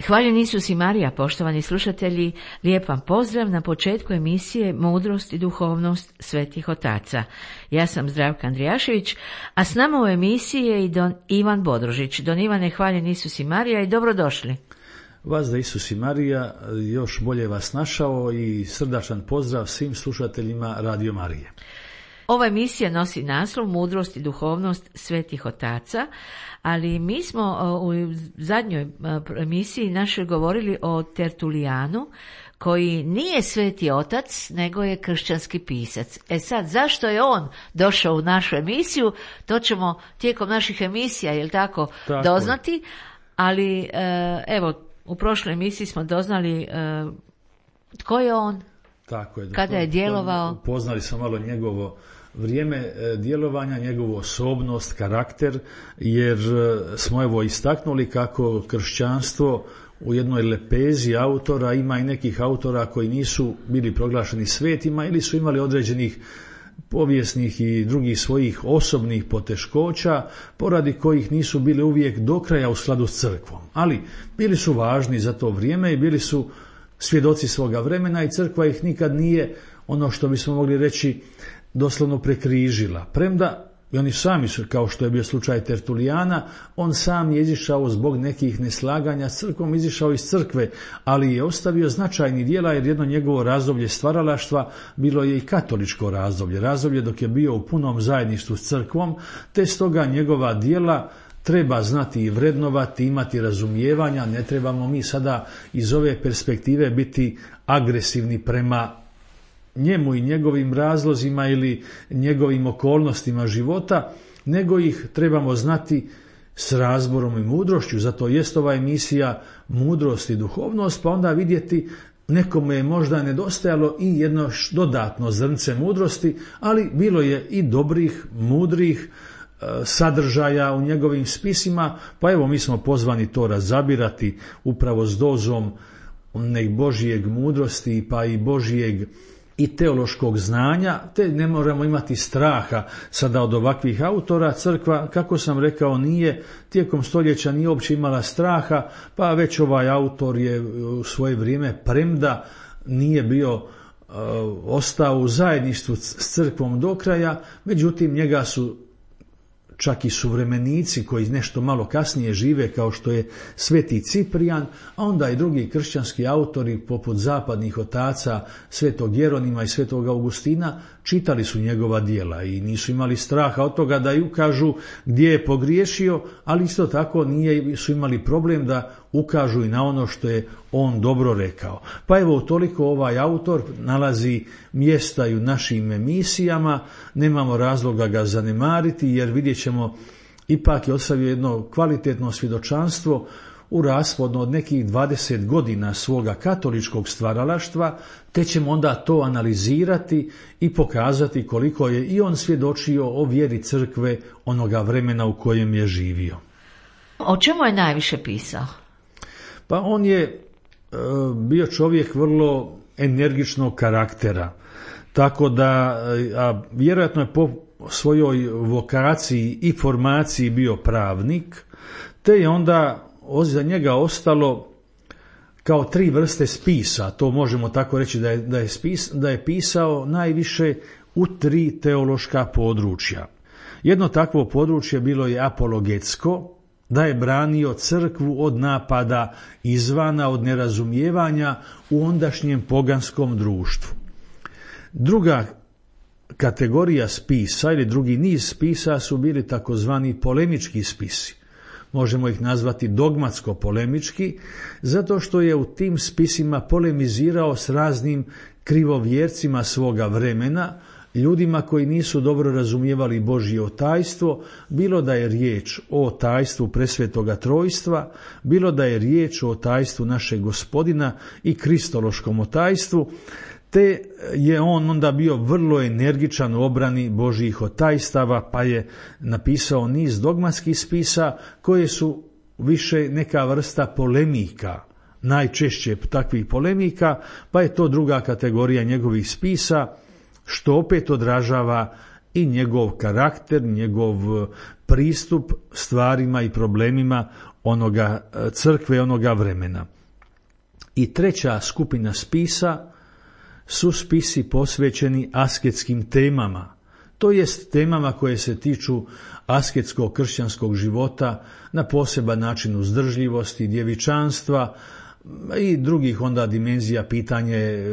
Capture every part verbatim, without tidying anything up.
Hvaljen Isus i Marija, poštovani slušatelji, lijep vam pozdrav na početku emisije Mudrost i duhovnost svetih otaca. Ja sam Zdravka Andrijašević, a s nama u emisiji je i don Ivan Bodrožić. Don Ivane, hvaljen Isus i Marija i dobrodošli. Vas da Isus i Marija, još bolje vas našao i srdačan pozdrav svim slušateljima Radio Marije. Ova emisija nosi naslov Mudrost i duhovnost svetih otaca, ali mi smo u zadnjoj emisiji našoj govorili o Tertulijanu, koji nije sveti otac, nego je kršćanski pisac. E sad, zašto je on došao u našu emisiju, to ćemo tijekom naših emisija, jel tako, tako doznati, ali evo, u prošloj emisiji smo doznali tko je on, tako je, kada je djelovao. Upoznali smo malo njegovo vrijeme djelovanja, njegovu osobnost, karakter, jer smo evo istaknuli kako kršćanstvo u jednoj lepezi autora ima i nekih autora koji nisu bili proglašeni svetima ili su imali određenih povijesnih i drugih svojih osobnih poteškoća, poradi kojih nisu bili uvijek do kraja u skladu s crkvom. Ali bili su važni za to vrijeme i bili su svjedoci svoga vremena i crkva ih nikad nije, ono što bismo mogli reći, doslovno prekrižila. Premda i oni sami su, kao što je bio slučaj Tertulijana, on sam je izišao zbog nekih neslaganja s crkvom, izišao iz crkve, ali je ostavio značajni djela, jer jedno njegovo razdoblje stvaralaštva bilo je i katoličko razdoblje, razdoblje dok je bio u punom zajedništvu s crkvom, te stoga njegova djela treba znati i vrednovati, imati razumijevanja. Ne trebamo mi sada iz ove perspektive biti agresivni prema njemu i njegovim razlozima ili njegovim okolnostima života, nego ih trebamo znati s razborom i mudrošću. Zato jest ova emisija Mudrost i duhovnost, pa onda vidjeti nekome je možda nedostajalo i jedno dodatno zrnce mudrosti, ali bilo je i dobrih, mudrih sadržaja u njegovim spisima, pa evo mi smo pozvani to razabirati upravo s dozom nek Božijeg mudrosti pa i Božijeg i teološkog znanja, te ne moramo imati straha sada od ovakvih autora. Crkva, kako sam rekao, nije tijekom stoljeća nije uopće imala straha, pa već ovaj autor je u svoje vrijeme, premda nije bio uh, ostao u zajedništvu s crkvom do kraja, međutim njega su čak i suvremenici koji nešto malo kasnije žive, kao što je Sveti Ciprijan, a onda i drugi kršćanski autori poput zapadnih otaca Svetog Jeronima i Svetog Augustina čitali su njegova djela i nisu imali straha od toga da i ukažu gdje je pogriješio, ali isto tako nije su imali problem da ukažu i na ono što je on dobro rekao. Pa evo, toliko ovaj autor nalazi mjesta i u našim emisijama, nemamo razloga ga zanemariti, jer vidjet ćemo, ipak je ostavio jedno kvalitetno svjedočanstvo u raspodno od nekih dvadeset godina svoga katoličkog stvaralaštva, te ćemo onda to analizirati i pokazati koliko je i on svjedočio o vjeri crkve onoga vremena u kojem je živio. O čemu je najviše pisao? Pa on je e, bio čovjek vrlo energičnog karaktera, tako da, a vjerojatno je po svojoj vokaciji i formaciji bio pravnik, te je onda za njega ostalo kao tri vrste spisa. To možemo tako reći da je, da je, spis, da je pisao najviše u tri teološka područja. Jedno takvo područje bilo je apologetsko, da je branio crkvu od napada izvana, od nerazumijevanja u ondašnjem poganskom društvu. Druga kategorija spisa ili drugi niz spisa su bili takozvani polemički spisi. Možemo ih nazvati dogmatsko-polemički, zato što je u tim spisima polemizirao s raznim krivovjercima svoga vremena, ljudima koji nisu dobro razumijevali Božje otajstvo, bilo da je riječ o otajstvu presvetoga trojstva, bilo da je riječ o otajstvu našeg Gospodina i kristološkom otajstvu, te je on onda bio vrlo energičan u obrani Božjih otajstava, pa je napisao niz dogmatskih spisa koje su više neka vrsta polemika, najčešće takvih polemika, pa je to druga kategorija njegovih spisa, što opet odražava i njegov karakter, njegov pristup stvarima i problemima onoga crkve, onoga vremena. I treća skupina spisa su spisi posvećeni asketskim temama, to jest temama koje se tiču asketskog kršćanskog života na poseban način uzdržljivosti, djevičanstva i drugih onda dimenzija, pitanje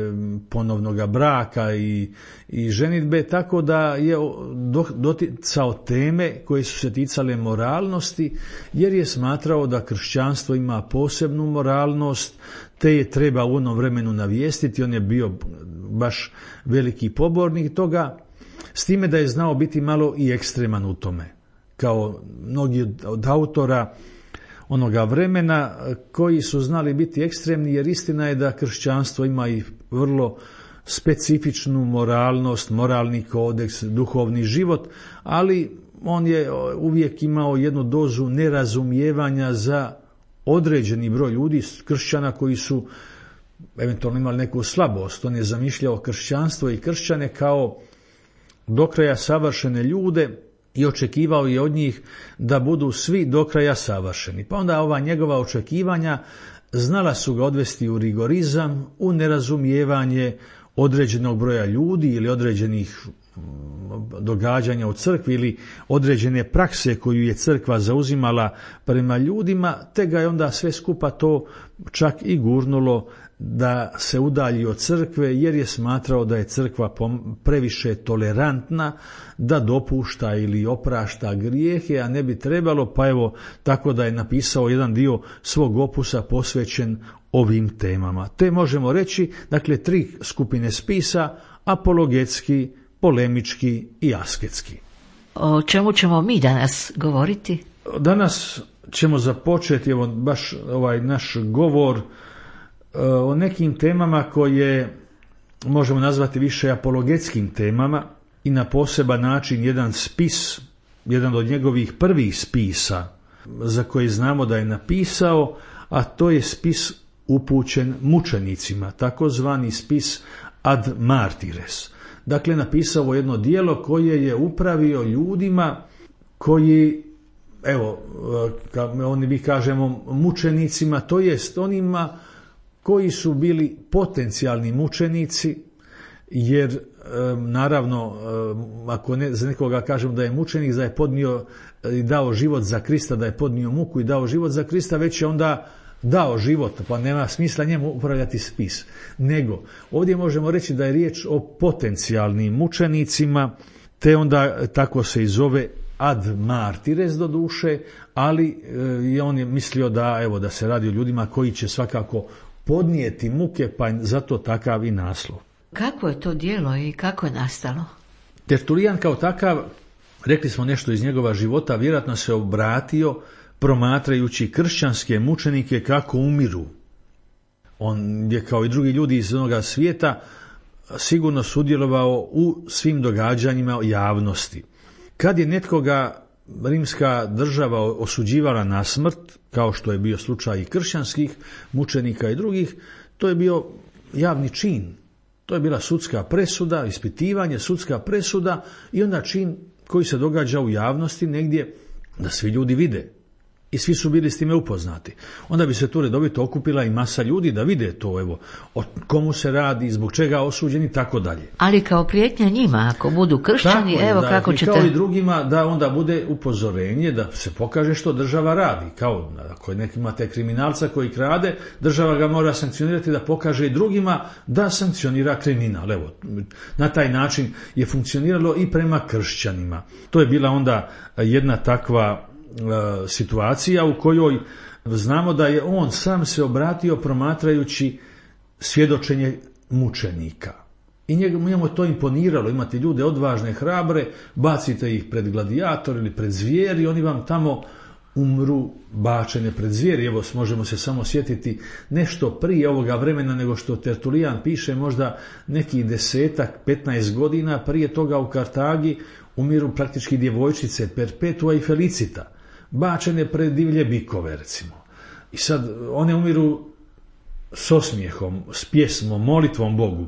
ponovnog braka i, i ženidbe, tako da je doticao teme koje su se ticale moralnosti, jer je smatrao da kršćanstvo ima posebnu moralnost, te je treba u onom vremenu navijestiti. On je bio baš veliki pobornik toga, s time da je znao biti malo i ekstreman u tome, kao mnogi od autora onoga vremena koji su znali biti ekstremni, jer istina je da kršćanstvo ima i vrlo specifičnu moralnost, moralni kodeks, duhovni život, ali on je uvijek imao jednu dozu nerazumijevanja za određeni broj ljudi, kršćana koji su eventualno imali neku slabost. On je zamišljao kršćanstvo i kršćane kao do kraja savršene ljude i očekivao je od njih da budu svi do kraja savršeni. Pa onda ova njegova očekivanja znala su ga odvesti u rigorizam, u nerazumijevanje određenog broja ljudi ili određenih događanja u crkvi ili određene prakse koju je crkva zauzimala prema ljudima, te ga je onda sve skupa to čak i gurnulo da se udalji od crkve, jer je smatrao da je crkva previše tolerantna, da dopušta ili oprašta grijehe, a ne bi trebalo, pa evo tako da je napisao jedan dio svog opusa posvećen ovim temama. Te možemo reći, dakle, tri skupine spisa: apologetski, polemički i asketski. O čemu ćemo mi danas govoriti? Danas ćemo započeti evo baš ovaj naš govor o nekim temama koje možemo nazvati više apologetskim temama i na poseban način jedan spis, jedan od njegovih prvih spisa za koji znamo da je napisao, a to je spis upućen mučenicima, takozvani spis ad martires. Dakle, napisao jedno djelo koje je upravio ljudima koji, evo, oni mi kažemo mučenicima, to jest onima koji su bili potencijalni mučenici, jer naravno, ako ne, za nekoga kažemo da je mučenik, da je podnio i dao život za Krista, da je podnio muku i dao život za Krista, već je onda dao život, pa nema smisla njemu upravljati spis. Nego, ovdje možemo reći da je riječ o potencijalnim mučenicima, te onda tako se i zove ad martires do duše, ali je on je mislio da, evo, da se radi o ljudima koji će svakako podnijeti muke, pa zato takav i naslov. Kako je to djelo i kako je nastalo? Tertulijan kao takav, rekli smo nešto iz njegova života, vjerojatno se obratio promatrajući kršćanske mučenike kako umiru. On je kao i drugi ljudi iz onoga svijeta sigurno sudjelovao u svim događanjima javnosti. Kad je netkoga rimska država osuđivala na smrt, kao što je bio slučaj i kršćanskih mučenika i drugih, to je bio javni čin. To je bila sudska presuda, ispitivanje, sudska presuda i onda čin koji se događa u javnosti negdje da svi ljudi vide. I svi su bili s time upoznati. Onda bi se tu redovito okupila i masa ljudi da vide to, evo, o komu se radi, zbog čega osuđeni, tako dalje. Ali kao prijetnja njima, ako budu kršćani, tako, evo da, kako i ćete... kao i drugima, da onda bude upozorenje, da se pokaže što država radi. Kao ako neki imate kriminalca koji krade, država ga mora sankcionirati da pokaže i drugima da sankcionira kriminal. Evo, na taj način je funkcioniralo i prema kršćanima. To je bila onda jedna takva situacija u kojoj znamo da je on sam se obratio promatrajući svjedočenje mučenika. I njemu to imponiralo, imate ljude odvažne, hrabre, bacite ih pred gladijator ili pred zvijeri, oni vam tamo umru bačene pred zvijeri. Evo, možemo se samo sjetiti nešto prije ovoga vremena nego što Tertulijan piše, možda nekih desetak, petnaest godina prije toga u Kartagi umiru praktički djevojčice Perpetua i Felicita, bačene pred divlje bikove, recimo. I sad one umiru s osmijehom, s pjesmom, molitvom Bogu.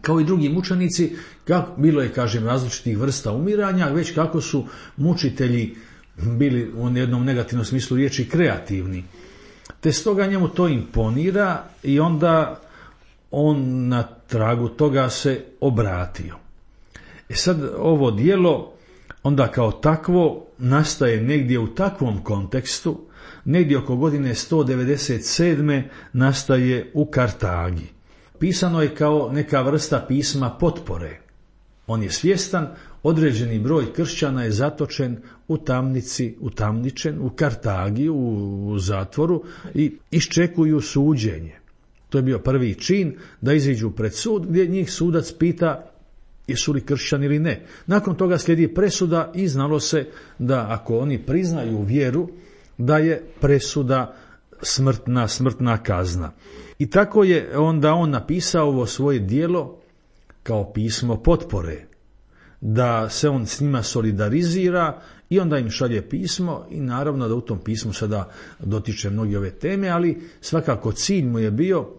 Kao i drugi mučenici, kako, bilo je, kažem, različitih vrsta umiranja, već kako su mučitelji bili u jednom negativnom smislu riječi kreativni. te stoga njemu to imponira i onda on na tragu toga se obratio. E sad ovo djelo onda kao takvo nastaje negdje u takvom kontekstu, negdje oko godine sto devedeset sedme nastaje u Kartagi. Pisano je kao neka vrsta pisma potpore. On je svjestan, određeni broj kršćana je zatočen u tamnici, utamničen u Kartagi, u, u zatvoru i iščekuju suđenje. To je bio prvi čin da iziđu pred sud gdje njih sudac pita jesu li kršćani ili ne. Nakon toga slijedi presuda i znalo se da ako oni priznaju vjeru, da je presuda smrtna, smrtna kazna. I tako je onda on napisao ovo svoje djelo kao pismo potpore, da se on s njima solidarizira i onda im šalje pismo i naravno da u tom pismu sada dotiče mnogi ove teme, ali svakako cilj mu je bio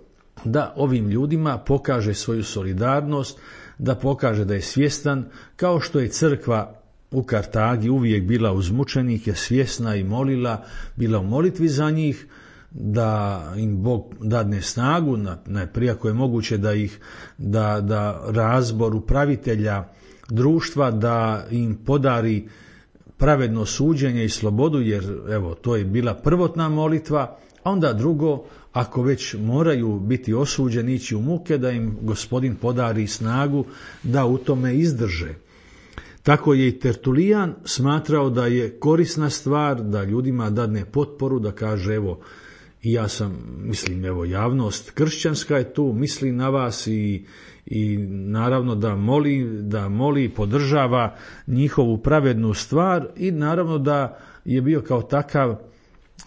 da ovim ljudima pokaže svoju solidarnost, da pokaže da je svjestan, kao što je crkva u Kartagi uvijek bila uz mučenike, svjesna i molila, bila u molitvi za njih, da im Bog dadne snagu, najprije ako je moguće da ih, da, da razbor upravitelja društva, da im podari pravedno suđenje i slobodu, jer evo, to je bila prvotna molitva, a onda drugo, ako već moraju biti osuđeni, ići u muke, da im Gospodin podari snagu da u tome izdrže. Tako je i Tertulijan smatrao da je korisna stvar da ljudima dadne potporu, da kaže evo, i ja sam, mislim, evo, javnost kršćanska je tu, misli na vas i, i naravno da moli, da moli, podržava njihovu pravednu stvar i naravno da je bio kao takav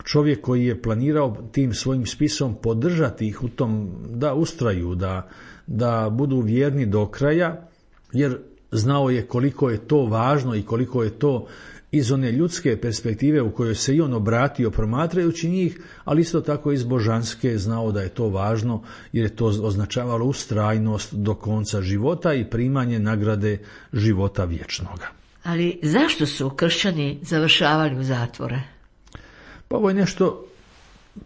čovjek koji je planirao tim svojim spisom podržati ih u tom da ustraju, da, da budu vjerni do kraja, jer znao je koliko je to važno i koliko je to iz one ljudske perspektive u kojoj se i on obratio promatrajući njih, ali isto tako iz božanske znao da je to važno jer je to označavalo ustrajnost do konca života i primanje nagrade života vječnoga. Ali zašto su kršćani završavali u zatvore? Pa ovo je nešto,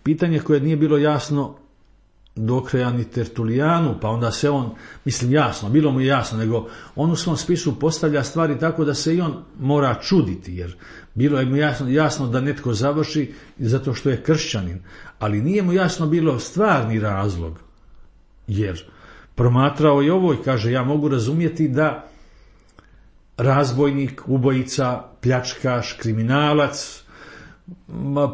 pitanje koje nije bilo jasno do kraja ni Tertulijanu, pa onda se on, mislim jasno, bilo mu je jasno, nego on u svom spisu postavlja stvari tako da se i on mora čuditi, jer bilo je mu jasno, jasno da netko završi zato što je kršćanin, ali nije mu jasno bilo stvarni razlog, jer promatrao je ovo i kaže ja mogu razumjeti da razbojnik, ubojica, pljačkaš, kriminalac,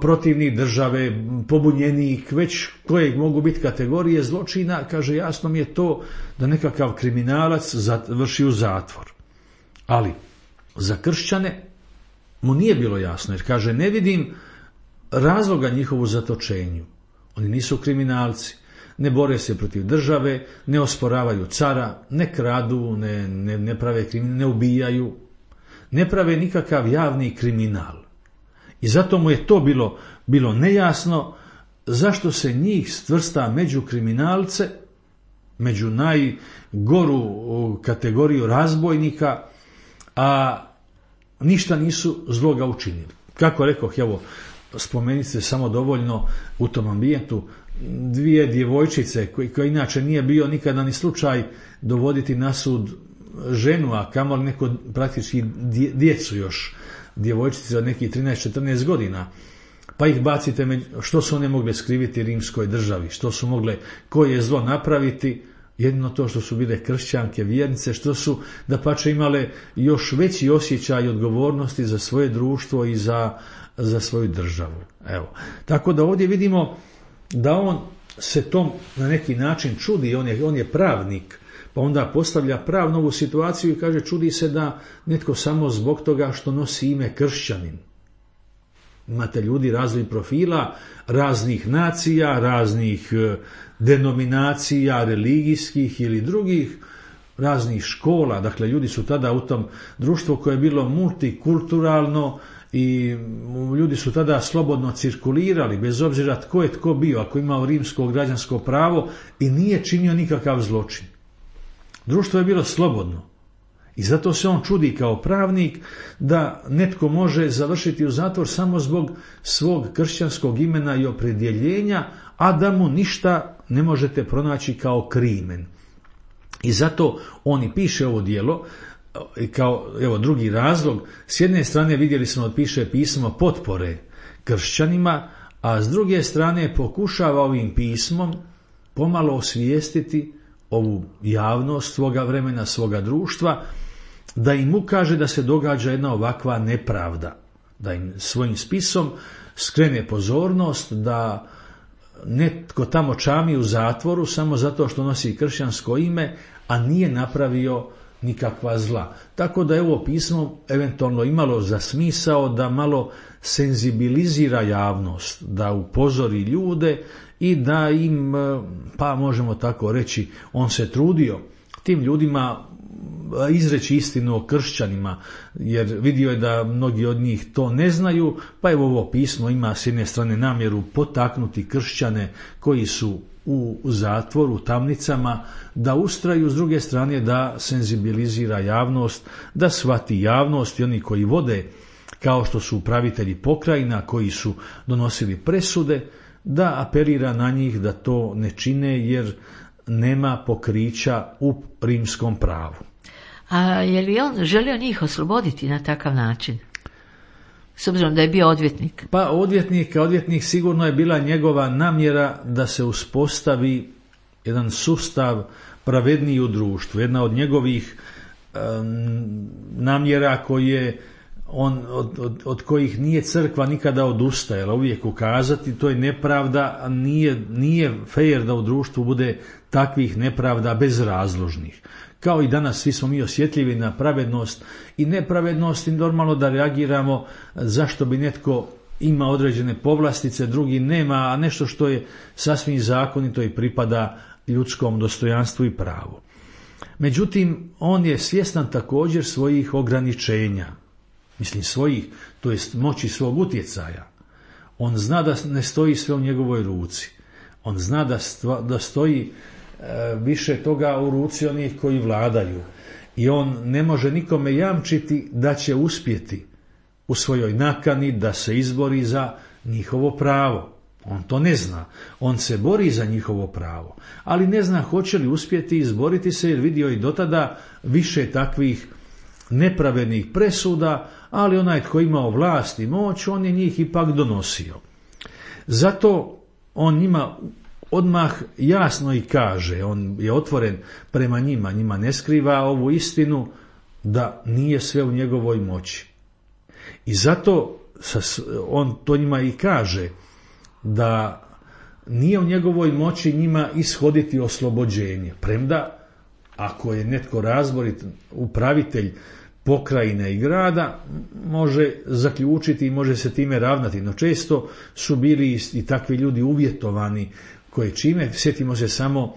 protivnik države, pobunjenik, već koje mogu biti kategorije zločina, kaže jasno mi je to da nekakav kriminalac završi u zatvor. Ali za kršćane mu nije bilo jasno, jer kaže ne vidim razloga njihovu zatočenju. Oni nisu kriminalci, ne bore se protiv države, ne osporavaju cara, ne kradu, ne, ne, ne prave kriminal, ne ubijaju, ne prave nikakav javni kriminal. I zato mu je to bilo, bilo nejasno zašto se njih stvrsta među kriminalce, među najgoru kategoriju razbojnika, a ništa nisu zloga učinili. Kako rekoh, evo, spomenite se samo dovoljno u tom ambijentu dvije djevojčice koji, koji inače nije bio nikada ni slučaj dovoditi na sud ženu, a kamoli neko praktički djecu još, djevojčice od nekih trinaest četrnaest godina, pa ih bacite, među, što su one mogle skriviti rimskoj državi, što su mogle, koje je zlo napraviti, jedino to što su bile kršćanke, vjernice, što su dapače imale još veći osjećaj odgovornosti za svoje društvo i za, za svoju državu. Evo. Tako da ovdje vidimo da on se tom na neki način čudi, on je, on je pravnik, pa onda postavlja pravnu ovu situaciju i kaže čudi se da netko samo zbog toga što nosi ime kršćanin. Imate ljudi raznih profila, raznih nacija, raznih denominacija, religijskih ili drugih, raznih škola. Dakle, ljudi su tada u tom društvu koje je bilo multikulturalno i ljudi su tada slobodno cirkulirali, bez obzira tko je tko bio, ako imao rimsko građansko pravo i nije činio nikakav zločin. Društvo je bilo slobodno I zato se on čudi kao pravnik da netko može završiti u zatvor samo zbog svog kršćanskog imena i opredjeljenja, a da mu ništa ne možete pronaći kao krimen. I zato on i piše ovo djelo, kao evo drugi razlog. S jedne strane vidjeli smo da piše pismo potpore kršćanima, a s druge strane pokušava ovim pismom pomalo osvijestiti ovu javnost svoga vremena, svoga društva, da im ukaže da se događa jedna ovakva nepravda, da im svojim spisom skrene pozornost da netko tamo čami u zatvoru samo zato što nosi kršćansko ime, a nije napravio nikakva zla. Tako da je ovo pismo eventualno imalo za smisao da malo senzibilizira javnost, da upozori ljude i da im, pa možemo tako reći, on se trudio tim ljudima izreći istinu o kršćanima, jer vidio je da mnogi od njih to ne znaju, pa evo ovo pismo ima s jedne strane namjeru potaknuti kršćane koji su u zatvoru, u tamnicama, da ustraju, s druge strane da senzibilizira javnost, da shvati javnost i oni koji vode, kao što su upravitelji pokrajina, koji su donosili presude, da apelira na njih da to ne čine jer nema pokrića u rimskom pravu. A je li on želio njih osloboditi na takav način? S obzirom da je bio odvjetnik. Pa odvjetnik, odvjetnik sigurno je bila njegova namjera da se uspostavi jedan sustav pravedniji u društvu. Jedna od njegovih um, namjera koje on, od, od, od kojih nije crkva nikada odustajala, uvijek ukazati, to je nepravda, a nije, nije fair da u društvu bude takvih nepravda bezrazložnih. Kao i danas svi smo mi osjetljivi na pravednost i nepravednost i normalno da reagiramo zašto bi netko ima određene povlastice, drugi nema, a nešto što je sasvim zakonito i pripada ljudskom dostojanstvu i pravu. Međutim, on je svjestan također svojih ograničenja, mislim svojih, to jest moći svog utjecaja. On zna da ne stoji sve u njegovoj ruci. On zna da, stva, da stoji više toga u ruci onih koji vladaju i on ne može nikome jamčiti da će uspjeti u svojoj nakani da se izbori za njihovo pravo. On to ne zna. On se bori za njihovo pravo, ali ne zna hoće li uspjeti izboriti se, jer vidio i dotada više takvih nepravednih presuda, ali onaj tko imao vlast i moć, on je njih ipak donosio. Zato on njima odmah jasno i kaže, on je otvoren prema njima, njima ne skriva ovu istinu da nije sve u njegovoj moći. I zato on to njima i kaže da nije u njegovoj moći njima ishoditi oslobođenje. Premda, ako je netko razborit upravitelj pokrajine i grada, može zaključiti i može se time ravnati. No često su bili i takvi ljudi uvjetovani koje čime, sjetimo se samo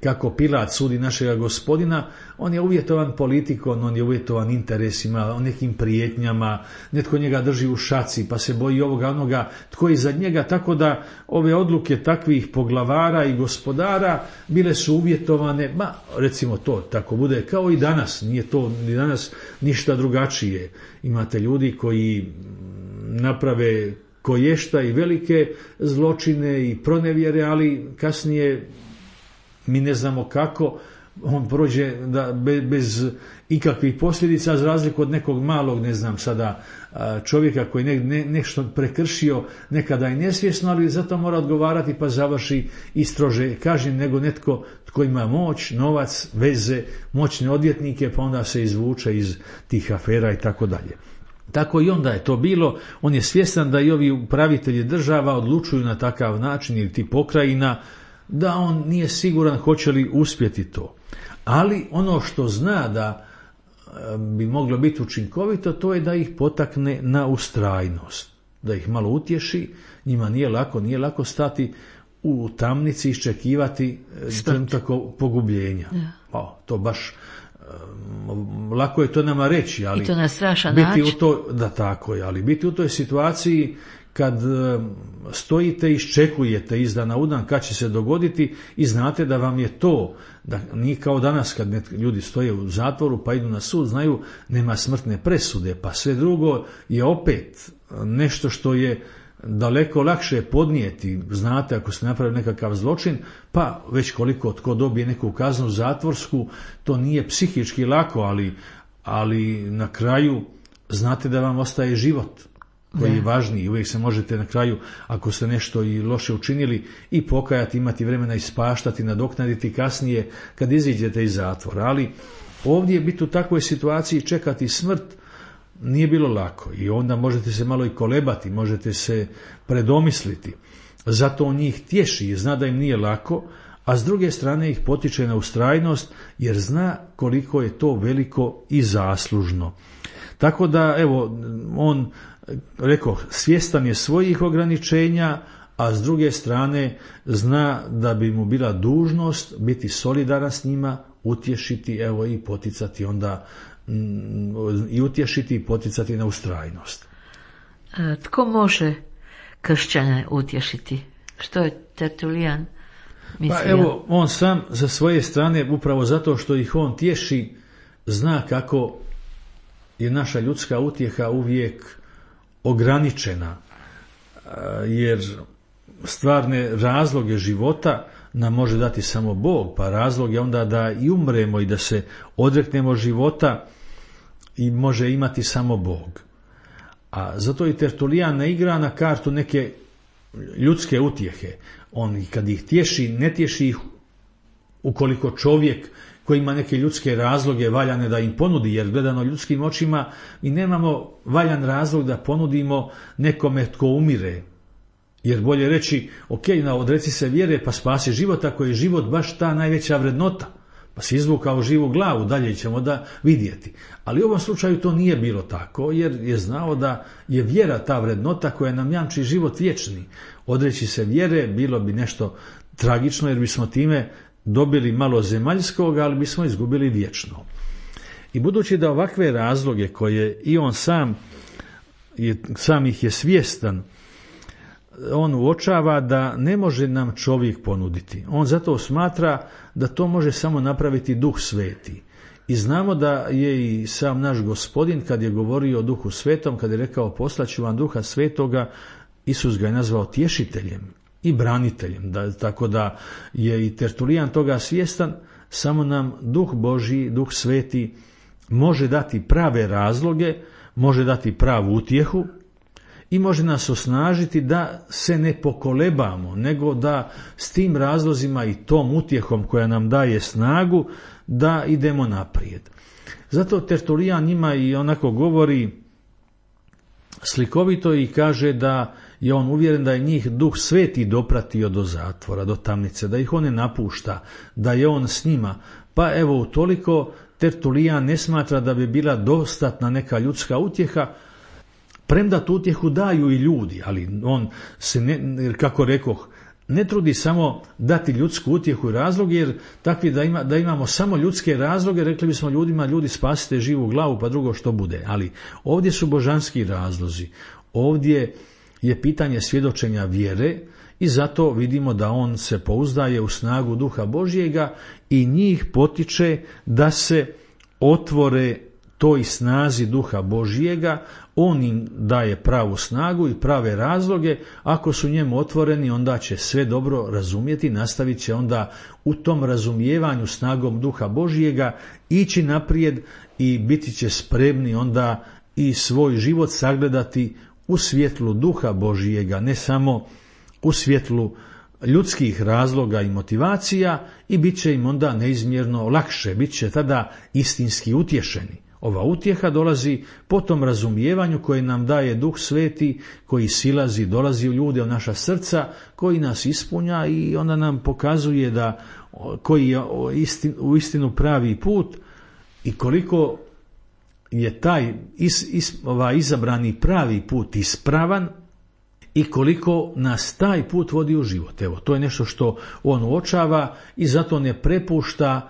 kako Pilat sudi našega Gospodina, on je uvjetovan politikom, on je uvjetovan interesima, nekim prijetnjama, netko njega drži u šaci, pa se boji ovoga onoga, tko je iza njega, tako da ove odluke takvih poglavara i gospodara bile su uvjetovane, ma recimo to tako bude, kao i danas, nije to ni danas ništa drugačije. Imate ljudi koji naprave koješta i velike zločine i pronevjere, ali kasnije mi ne znamo kako on prođe da bez ikakvih posljedica, za razliku od nekog malog, ne znam sada, čovjeka koji ne, ne, nešto prekršio nekada i nesvjesno, ali zato mora odgovarati pa završi i strože kažnjen nego netko tko ima moć, novac, veze, moćne odvjetnike, pa onda se izvuče iz tih afera i tako dalje. Tako i onda je to bilo. On je svjestan da i ovi upravitelji država odlučuju na takav način, ili ti pokrajina, da on nije siguran hoće li uspjeti to. Ali ono što zna da bi moglo biti učinkovito, to je da ih potakne na ustrajnost, da ih malo utješi. Njima nije lako, nije lako stati u tamnici, iščekivati trenutak pogubljenja. Ja. O, to baš lako je to nama reći, ali i to na strašan biti način. u to, da tako je, ali biti u toj situaciji kad stojite i iščekujete iz dana u dan kad će se dogoditi i znate da vam je to, da nije kao danas kad ljudi stoje u zatvoru pa idu na sud, znaju nema smrtne presude, pa sve drugo je opet nešto što je daleko lakše podnijeti. Znate, ako se napravi nekakav zločin, pa već koliko tko dobije neku kaznu zatvorsku, to nije psihički lako, ali, ali na kraju znate da vam ostaje život koji je važniji. Uvijek se možete na kraju, ako ste nešto i loše učinili, i pokajati, imati vremena ispaštati, nadoknaditi kasnije kad iziđete iz zatvora. Ali ovdje biti u takvoj situaciji, čekati smrt, nije bilo lako i onda možete se malo i kolebati, možete se predomisliti. Zato on njih tješi i zna da im nije lako, a s druge strane ih potiče na ustrajnost jer zna koliko je to veliko i zaslužno. Tako da, evo, on, rekao, svjestan je svojih ograničenja, a s druge strane zna da bi mu bila dužnost biti solidaran s njima, utješiti, evo, i poticati onda i utješiti i poticati na ustrajnost. Tko može kršćane utješiti? Što je Tertulijan mislio? Pa evo, on sam za svoje strane, upravo zato što ih on tješi, zna kako je naša ljudska utjeha uvijek ograničena, jer stvarne razloge života nam može dati samo Bog, pa razlog je onda da i umremo i da se odreknemo života i može imati samo Bog. A zato i Tertulijan ne igra na kartu neke ljudske utjehe. On kad ih tješi, ne tješi ih ukoliko čovjek koji ima neke ljudske razloge valjane da im ponudi, jer gledano ljudskim očima mi nemamo valjan razlog da ponudimo nekome tko umire. Jer bolje reći, ok, na odreci se vjere pa spasi život, ako je život baš ta najveća vrednota, pa si izvukao živu glavu, dalje ćemo da vidjeti. Ali u ovom slučaju to nije bilo tako, jer je znao da je vjera ta vrednota koja nam jamči život vječni. Odreći se vjere bilo bi nešto tragično, jer bismo time dobili malo zemaljskog, ali bismo izgubili vječno. I budući da ovakve razloge koje i on sam, je, sam ih je svjestan, on uočava da ne može nam čovjek ponuditi. On zato smatra da to može samo napraviti Duh Sveti. I znamo da je i sam naš Gospodin, kad je govorio o Duhu Svetom, kad je rekao poslaću vam Duha Svetoga, Isus ga je nazvao tješiteljem i braniteljem. Da, tako da je i Tertulijan toga svjestan, samo nam Duh Božji, Duh Sveti može dati prave razloge, može dati pravu utjehu, i može nas osnažiti da se ne pokolebamo, nego da s tim razlozima i tom utjehom koja nam daje snagu, da idemo naprijed. Zato Tertulijan njima i onako govori slikovito i kaže da je on uvjeren da je njih Duh Sveti dopratio do zatvora, do tamnice, da ih on ne napušta, da je on s njima. Pa evo, utoliko Tertulijan ne smatra da bi bila dostatna neka ljudska utjeha, premda tu utjehu daju i ljudi, ali on se, ne, kako rekoh, ne trudi samo dati ljudsku utjehu i razlog, jer takvi da, ima, da imamo samo ljudske razloge, rekli bismo ljudima, ljudi spasite živu glavu pa drugo što bude. Ali ovdje su božanski razlozi, ovdje je pitanje svjedočenja vjere i zato vidimo da on se pouzdaje u snagu Duha Božjega i njih potiče da se otvore toj snazi Duha Božjega. On im daje pravu snagu i prave razloge. Ako su njemu otvoreni, onda će sve dobro razumjeti, nastavit će onda u tom razumijevanju snagom Duha Božjega ići naprijed i biti će spremni onda i svoj život sagledati u svjetlu Duha Božjega, ne samo u svjetlu ljudskih razloga i motivacija, i bit će im onda neizmjerno lakše, bit će tada istinski utješeni. Ova utjeha dolazi po tom razumijevanju koje nam daje Duh Sveti, koji silazi, dolazi u ljude, u naša srca, koji nas ispunja i onda nam pokazuje da koji je u istinu pravi put i koliko je taj is, is, ovaj izabrani pravi put ispravan i koliko nas taj put vodi u život. Evo, to je nešto što on uočava i zato ne prepušta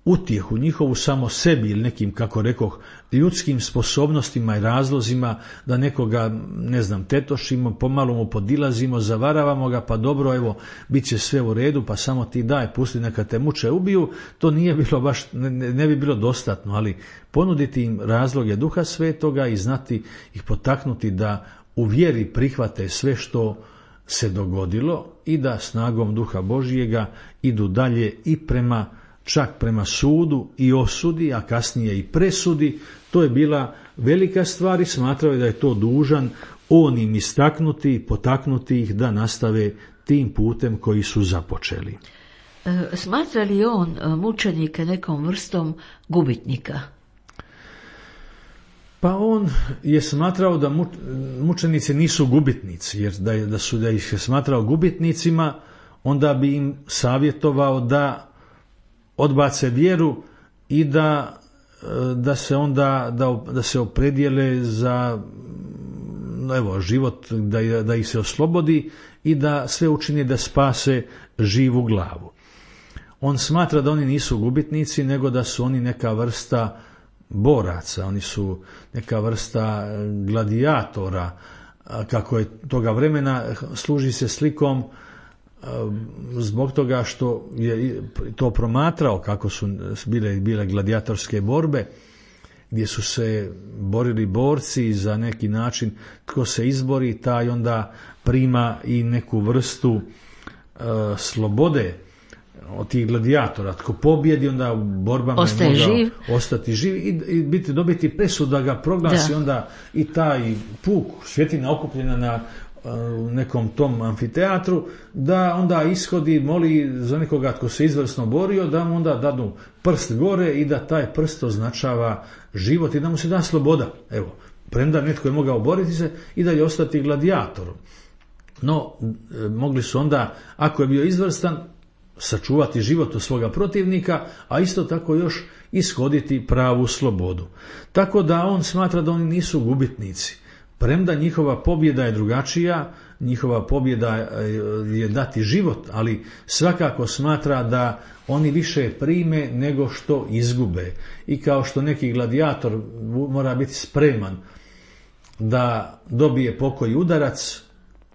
utjehu, njihovu samo sebi ili nekim, kako rekoh, ljudskim sposobnostima i razlozima da nekoga, ne znam, tetošimo, pomalo mu podilazimo, zavaravamo ga, pa dobro, evo, bit će sve u redu, pa samo ti daj, pusti neka te muče ubiju, to nije bilo baš, ne, ne bi bilo dostatno, ali ponuditi im razloge Duha Svetoga i znati ih potaknuti da u vjeri prihvate sve što se dogodilo i da snagom Duha Božjega idu dalje i prema, čak prema sudu i osudi, a kasnije i presudi. To je bila velika stvar i smatrao je da je to dužan on im istaknuti, potaknuti ih da nastave tim putem koji su započeli. Smatra li on mučenike nekom vrstom gubitnika? Pa on je smatrao da mučenici nisu gubitnici, jer da, je, da su da ih je smatrao gubitnicima, onda bi im savjetovao da odbace vjeru i da, da se onda da, da se opredijele za evo, život, da, da ih se oslobodi i da sve učini da spase živu glavu. On smatra da oni nisu gubitnici, nego da su oni neka vrsta boraca, oni su neka vrsta gladijatora, kako je toga vremena, služi se slikom zbog toga što je to promatrao kako su bile, bile gladijatorske borbe, gdje su se borili borci za neki način, tko se izbori, taj onda prima i neku vrstu uh, slobode od tih gladijatora. Tko pobjedi, onda u borbama ostaje je mogao živ. ostati živ i, i biti, dobiti presud da ga proglasi da. Onda i taj puk, svjetina okupljena na u nekom tom amfiteatru, da onda ishodi, moli za nekoga tko se izvrsno borio, da mu onda dadu prst gore i da taj prst označava život i da mu se da sloboda. Evo, premda netko je mogao boriti se i da je ostati gladijatorom. No, mogli su onda, ako je bio izvrstan, sačuvati život od svoga protivnika, a isto tako još ishoditi pravu slobodu. Tako da on smatra da oni nisu gubitnici. Premda njihova pobjeda je drugačija, njihova pobjeda je dati život, ali svakako smatra da oni više prime nego što izgube. I kao što neki gladijator mora biti spreman da dobije pokoji udarac,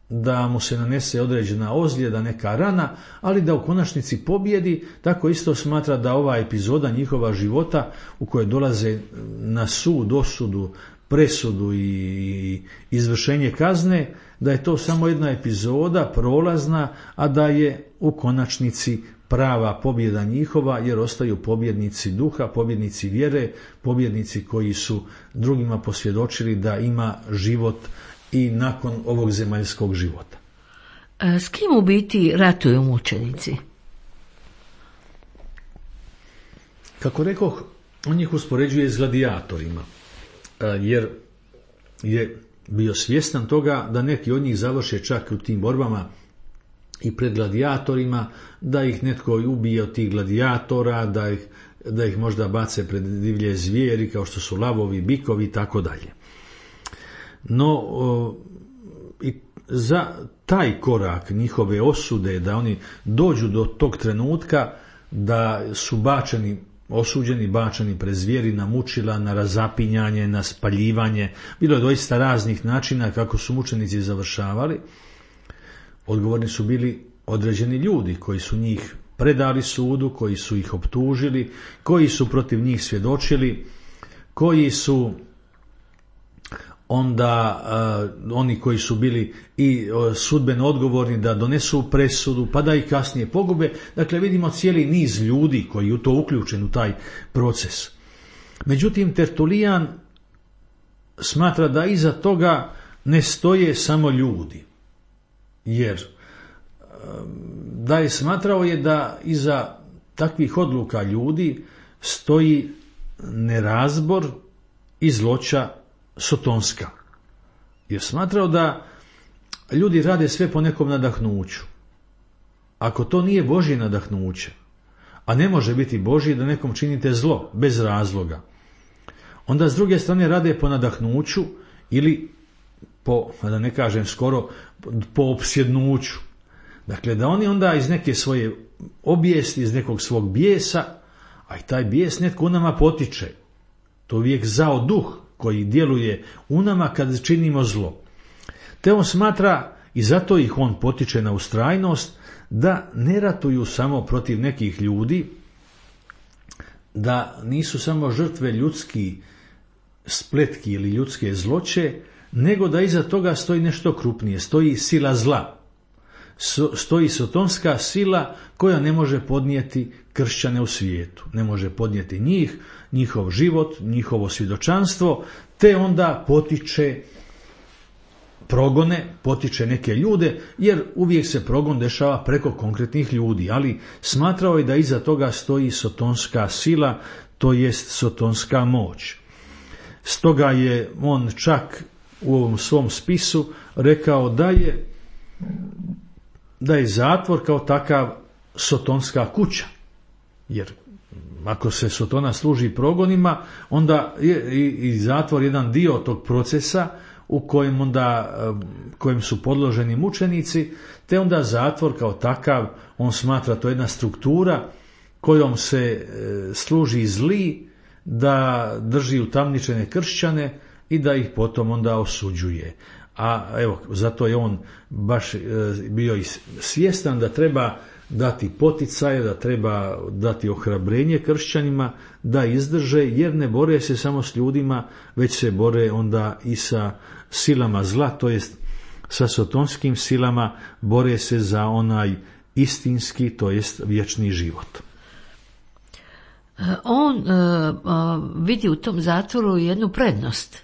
da mu se nanese određena ozljeda, neka rana, ali da u konačnici pobjedi, tako isto smatra da ova epizoda njihova života u kojoj dolaze na sud, osudu, presudu i izvršenje kazne, da je to samo jedna epizoda prolazna, a da je u konačnici prava pobjeda njihova, jer ostaju pobjednici duha, pobjednici vjere, pobjednici koji su drugima posvjedočili da ima život i nakon ovog zemaljskog života. S kim u biti ratuju mučenici? Kako rekoh, on ih uspoređuje s gladijatorima, jer je bio svjestan toga da neki od njih završe čak u tim borbama i pred gladijatorima, da ih netko ubije od tih gladijatora, da ih, da ih možda bace pred divlje zvijeri kao što su lavovi, bikovi i tako dalje. No, o, i za taj korak njihove osude, da oni dođu do tog trenutka da su bačeni, osuđeni, bačeni pred zvijeri, na mučila, na razapinjanje, na spaljivanje. Bilo je doista raznih načina kako su mučenici završavali. Odgovorni su bili određeni ljudi koji su njih predali sudu, koji su ih optužili, koji su protiv njih svjedočili, koji su onda uh, oni koji su bili i uh, sudbeno odgovorni da donesu presudu, pa da ih kasnije pogube. Dakle, vidimo cijeli niz ljudi koji je u to uključen u taj proces. Međutim, Tertulijan smatra da iza toga ne stoje samo ljudi, jer uh, da je smatrao je da iza takvih odluka ljudi stoji nerazbor i zloća sotonska. Jer smatrao da ljudi rade sve po nekom nadahnuću. Ako to nije Božje nadahnuće, a ne može biti Božje da nekom činite zlo bez razloga, onda s druge strane rade po nadahnuću ili po, da ne kažem skoro, po opsjednuću. Dakle, da oni onda iz neke svoje obijesti, iz nekog svog bijesa, a i taj bijes netko u nama potiče. To uvijek zao duh koji djeluje u nama kad činimo zlo. Te on smatra, i zato ih on potiče na ustrajnost, da ne ratuju samo protiv nekih ljudi, da nisu samo žrtve ljudski spletki ili ljudske zloće, nego da iza toga stoji nešto krupnije, stoji sila zla. Stoji sotonska sila koja ne može podnijeti kršćane u svijetu, ne može podnijeti njih, njihov život, njihovo svjedočanstvo, te onda potiče progone, potiče neke ljude, jer uvijek se progon dešava preko konkretnih ljudi, ali smatrao je da iza toga stoji sotonska sila, to jest sotonska moć. Stoga je on čak u ovom svom spisu rekao da je da je zatvor kao takav sotonska kuća, jer ako se sotona služi progonima, onda je i zatvor jedan dio tog procesa u kojem onda kojem su podloženi mučenici, te onda zatvor kao takav, on smatra to jedna struktura kojom se služi zli da drži utamničene kršćane i da ih potom onda osuđuje. A evo, zato je on baš bio i svjestan da treba dati poticaje, da treba dati ohrabrenje kršćanima da izdrže, jer ne bore se samo s ljudima, već se bore onda i sa silama zla, to jest sa sotonskim silama, bore se za onaj istinski, to jest vječni život. On uh, uh, vidi u tom zatvoru jednu prednost.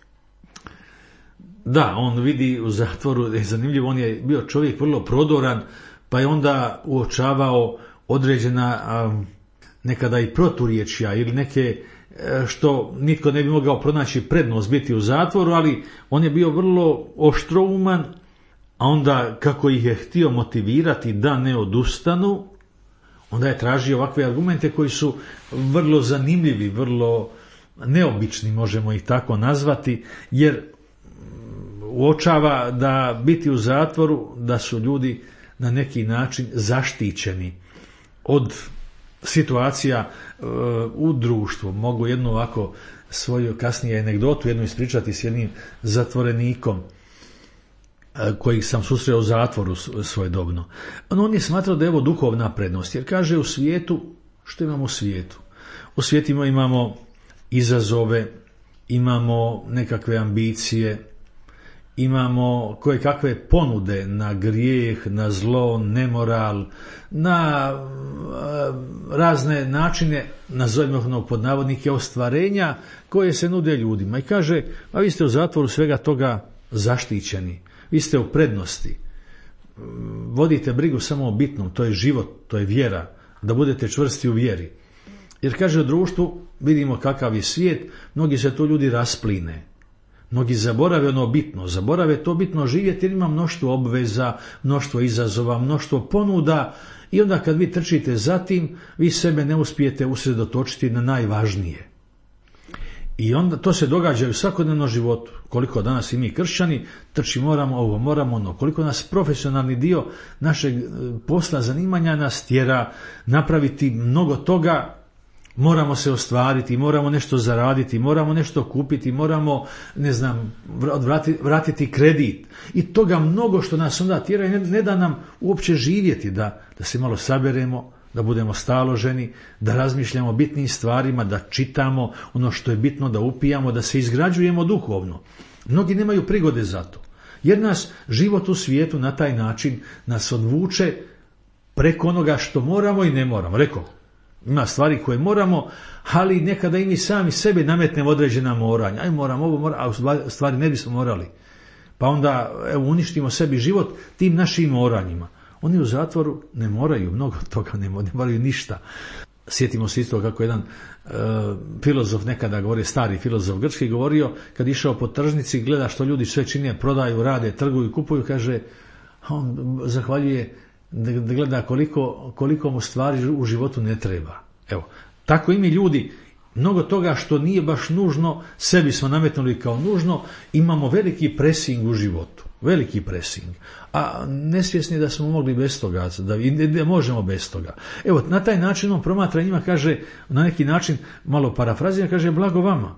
Da, on vidi u zatvoru, je zanimljivo, on je bio čovjek vrlo prodoran, pa je onda uočavao određena um, nekada i proturječja ili neke što nitko ne bi mogao pronaći prednost biti u zatvoru, ali on je bio vrlo oštrouman, a onda kako ih je htio motivirati da ne odustanu, onda je tražio ovakve argumente koji su vrlo zanimljivi, vrlo neobični, možemo ih tako nazvati, jer uočava da biti u zatvoru, da su ljudi na neki način zaštićeni od situacija uh, u društvu. Mogu jednu ovako svoju kasnije anegdotu jednu ispričati s jednim zatvorenikom uh, kojih sam susreo u zatvoru svojedobno. On, on je smatrao da je ovo duhovna prednost, jer kaže u svijetu, što imamo u svijetu? U svijetu imamo izazove, imamo nekakve ambicije, imamo koje kakve ponude na grijeh, na zlo, nemoral, na razne načine, nazovimo pod navodnike, ostvarenja koje se nude ljudima. I kaže, a vi ste u zatvoru svega toga zaštićeni, vi ste u prednosti, vodite brigu samo o bitnom, to je život, to je vjera, da budete čvrsti u vjeri. Jer kaže, u društvu vidimo kakav je svijet, mnogi se tu ljudi raspline. Mnogi zaborave ono bitno, zaborave to bitno živjeti jer ima mnoštvo obveza, mnoštvo izazova, mnoštvo ponuda i onda kad vi trčite za tim, vi sebe ne uspijete usredotočiti na najvažnije. I onda to se događa u svakodnevnom životu. Koliko danas i mi kršćani trči moramo ovo, moramo ono, koliko nas profesionalni dio našeg posla, zanimanja nas tjera napraviti mnogo toga. Moramo se ostvariti, moramo nešto zaraditi, moramo nešto kupiti, moramo, ne znam, vratiti, vratiti kredit. I toga mnogo što nas onda tjera i ne, ne da nam uopće živjeti, da, da se malo saberemo, da budemo staloženi, da razmišljamo o bitnim stvarima, da čitamo ono što je bitno, da upijamo, da se izgrađujemo duhovno. Mnogi nemaju prigode za to, jer nas život u svijetu na taj način nas odvuče preko onoga što moramo i ne moramo. Rekao, ima stvari koje moramo, ali nekada i mi sami sebe nametnemo određena moranja. Aj moramo ovo, moramo, a u stvari ne bismo morali. Pa onda evo, uništimo sebi život tim našim moranjima. Oni u zatvoru ne moraju, mnogo toga ne moraju, ne moraju ništa. Sjetimo se isto kako jedan e, filozof nekada govori, stari filozof grčki, govorio kad išao po tržnici, gleda što ljudi sve čine, prodaju, rade, trguju, kupuju, kaže, on zahvaljuje da gleda koliko, koliko mu stvari u životu ne treba. Evo, tako i mi ljudi, mnogo toga što nije baš nužno, sebi smo nametnuli kao nužno, imamo veliki presing u životu. veliki presing, a nesvjesni da smo mogli bez toga, da, da možemo bez toga. Evo, na taj način on promatra njima, kaže, na neki način, malo parafrazira, kaže, blago vama,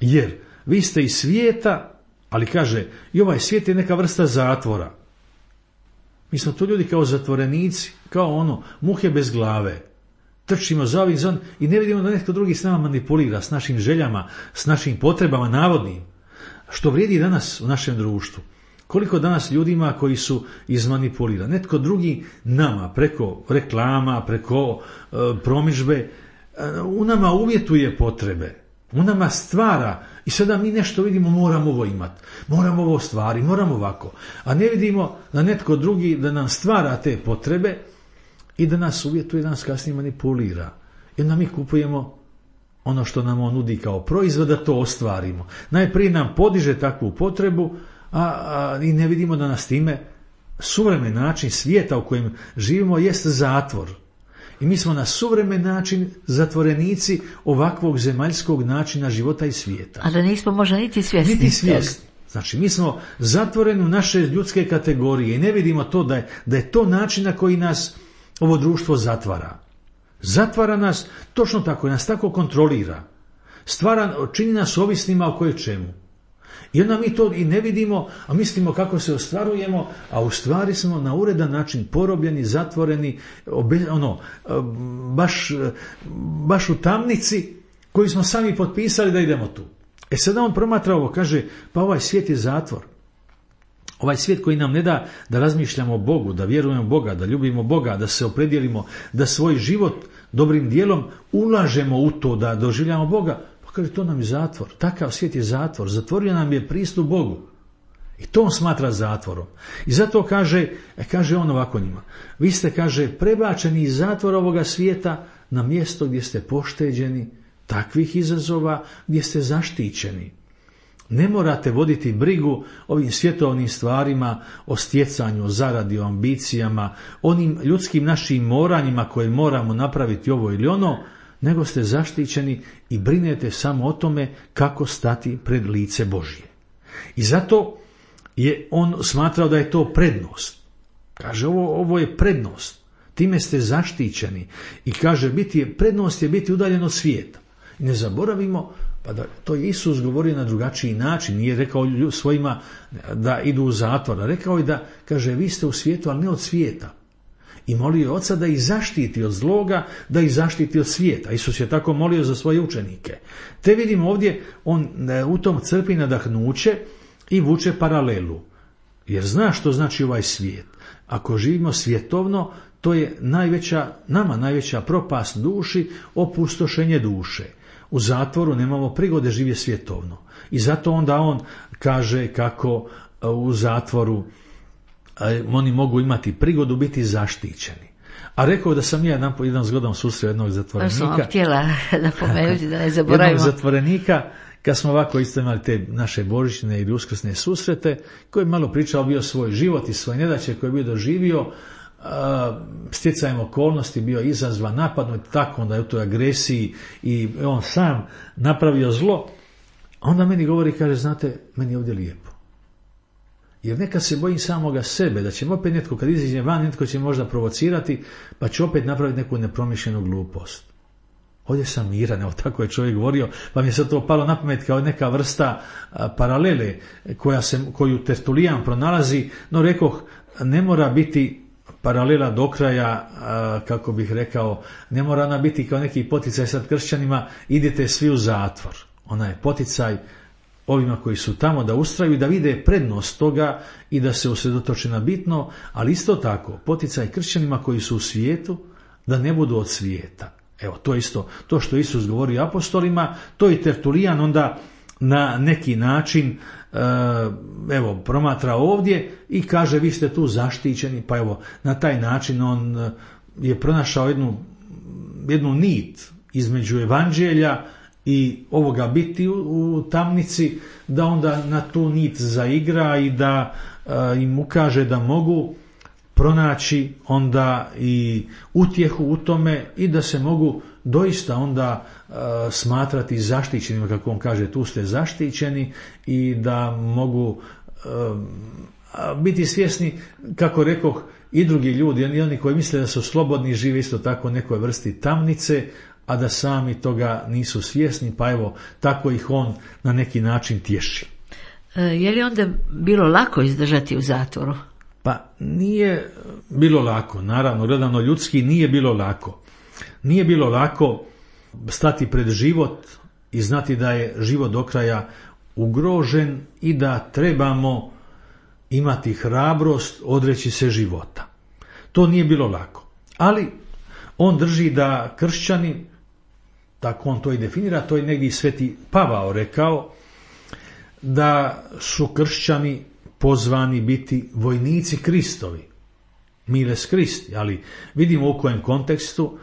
jer vi ste iz svijeta, ali kaže, i ovaj svijet je neka vrsta zatvora. Mi smo to ljudi kao zatvorenici, kao ono, muhe bez glave. Trčimo za ovih zon i ne vidimo da netko drugi s nama manipulira, s našim željama, s našim potrebama navodnim. Što vrijedi danas u našem društvu. Koliko danas ljudima koji su izmanipulirani. Netko drugi nama, preko reklama, preko e, promidžbe, e, u nama uvjetuje potrebe. U nama stvara i sada mi nešto vidimo, moramo ovo imati, moramo ovo stvari, moramo ovako. A ne vidimo da netko drugi da nam stvara te potrebe i da nas uvjetuje, da nas kasnije manipulira. I onda mi kupujemo ono što nam on nudi kao proizvod, da to ostvarimo. Najprije nam podiže takvu potrebu, a, a i ne vidimo da nas time suvremen način svijeta u kojem živimo jest zatvor. I mi smo na suvremen način zatvorenici ovakvog zemaljskog načina života i svijeta. A da nismo možda niti svjesni. Niti svjesni. Znači, mi smo zatvoreni u naše ljudske kategorije i ne vidimo to da je, da je to način na koji nas ovo društvo zatvara. Zatvara nas, točno tako, nas tako kontrolira. Stvara, čini nas ovisnima o koje čemu. I onda mi to i ne vidimo, a mislimo kako se ostvarujemo, a u stvari smo na uredan način porobljeni, zatvoreni, obe, ono, baš, baš u tamnici koju smo sami potpisali da idemo tu. E sada on promatra ovo, kaže, pa ovaj svijet je zatvor. Ovaj svijet koji nam ne da da razmišljamo o Bogu, da vjerujemo Boga, da ljubimo Boga, da se opredijelimo, da svoj život dobrim dijelom ulažemo u to, da doživljamo Boga, pa kaže, to nam je zatvor. Takav svijet je zatvor. Zatvorio nam je pristup Bogu. I to on smatra zatvorom. I zato kaže, kaže on ovako njima, vi ste, kaže, prebačeni iz zatvora ovoga svijeta na mjesto gdje ste pošteđeni takvih izazova, gdje ste zaštićeni. Ne morate voditi brigu ovim svjetovnim stvarima, o stjecanju, o zaradi, o ambicijama, onim ljudskim našim moranjima koje moramo napraviti ovo ili ono, nego ste zaštićeni i brinete samo o tome kako stati pred lice Božje. I zato je on smatrao da je to prednost. Kaže, ovo, ovo je prednost. Time ste zaštićeni. I kaže, biti je, prednost je biti udaljen od svijeta. I ne zaboravimo, pa da to je Isus govorio na drugačiji način, nije rekao svojima da idu u zatvor, rekao je da, kaže, vi ste u svijetu, ali ne od svijeta. I molio je Oca da ih zaštiti od zloga, da ih zaštiti od svijeta. Isus je tako molio za svoje učenike. Te vidimo ovdje, on u tom crpi nadahnuće i vuče paralelu. Jer zna što znači ovaj svijet. Ako živimo svjetovno, to je najveća, nama najveća propast duši, opustošenje duše. U zatvoru nemamo prigode živjeti svjetovno. I zato onda on kaže kako u zatvoru oni mogu imati prigodu biti zaštićeni. A rekao da sam ja jedan, jedan zgodan susreo jednog zatvorenika. To sam htjela napomenuti da ne zaboravimo. Jednog zatvorenika, kad smo ovako isto imali te naše božićne ili uskrsne susrete, koji je malo pričao bio svoj život i svoje nedaće koje je bio doživio, stjecajem okolnosti bio izazvan, napadnut, tako onda je u toj agresiji i on sam napravio zlo. A onda meni govori, kaže, znate, meni je ovdje lijepo. Jer nekad se bojim samoga sebe, da će opet netko, kad izađe van, netko će možda provocirati, pa će opet napraviti neku nepromišljenu glupost. Ovdje sam miran, evo tako je čovjek govorio, pa mi je sad to palo na pamet kao neka vrsta a, paralele koja se, koju Tertulijan pronalazi, no rekoh, ne mora biti paralela do kraja, a, kako bih rekao, ne mora ona biti kao neki poticaj sad kršćanima, idite svi u zatvor. Ona je poticaj ovima koji su tamo da ustraju i da vide prednost toga i da se usredotoče na bitno, ali isto tako poticaj kršćanima koji su u svijetu da ne budu od svijeta. Evo, to isto, to što Isus govori apostolima, to i Tertulijan onda na neki način evo, promatra ovdje i kaže, vi ste tu zaštićeni, pa evo, na taj način on je pronašao jednu, jednu nit između evanđelja i ovoga biti u, u tamnici, da onda na tu nit zaigra i da a, im ukaže da mogu pronaći onda i utjehu u tome i da se mogu doista onda uh, smatrati zaštićenima, kako on kaže, tu ste zaštićeni i da mogu uh, biti svjesni, kako rekoh, i drugi ljudi, i oni koji misle da su slobodni, žive isto tako u nekoj vrsti tamnice, a da sami toga nisu svjesni, pa evo, tako ih on na neki način tješi. E, je li onda bilo lako izdržati u zatvoru? Pa nije bilo lako, naravno, gledano ljudski nije bilo lako. Nije bilo lako stati pred život i znati da je život do kraja ugrožen i da trebamo imati hrabrost odreći se života. To nije bilo lako. Ali on drži da kršćani, tako on to i definira, to je negdje Sveti Pavao rekao, da su kršćani pozvani biti vojnici Kristovi, miles Kristi, ali vidimo u kojem kontekstu.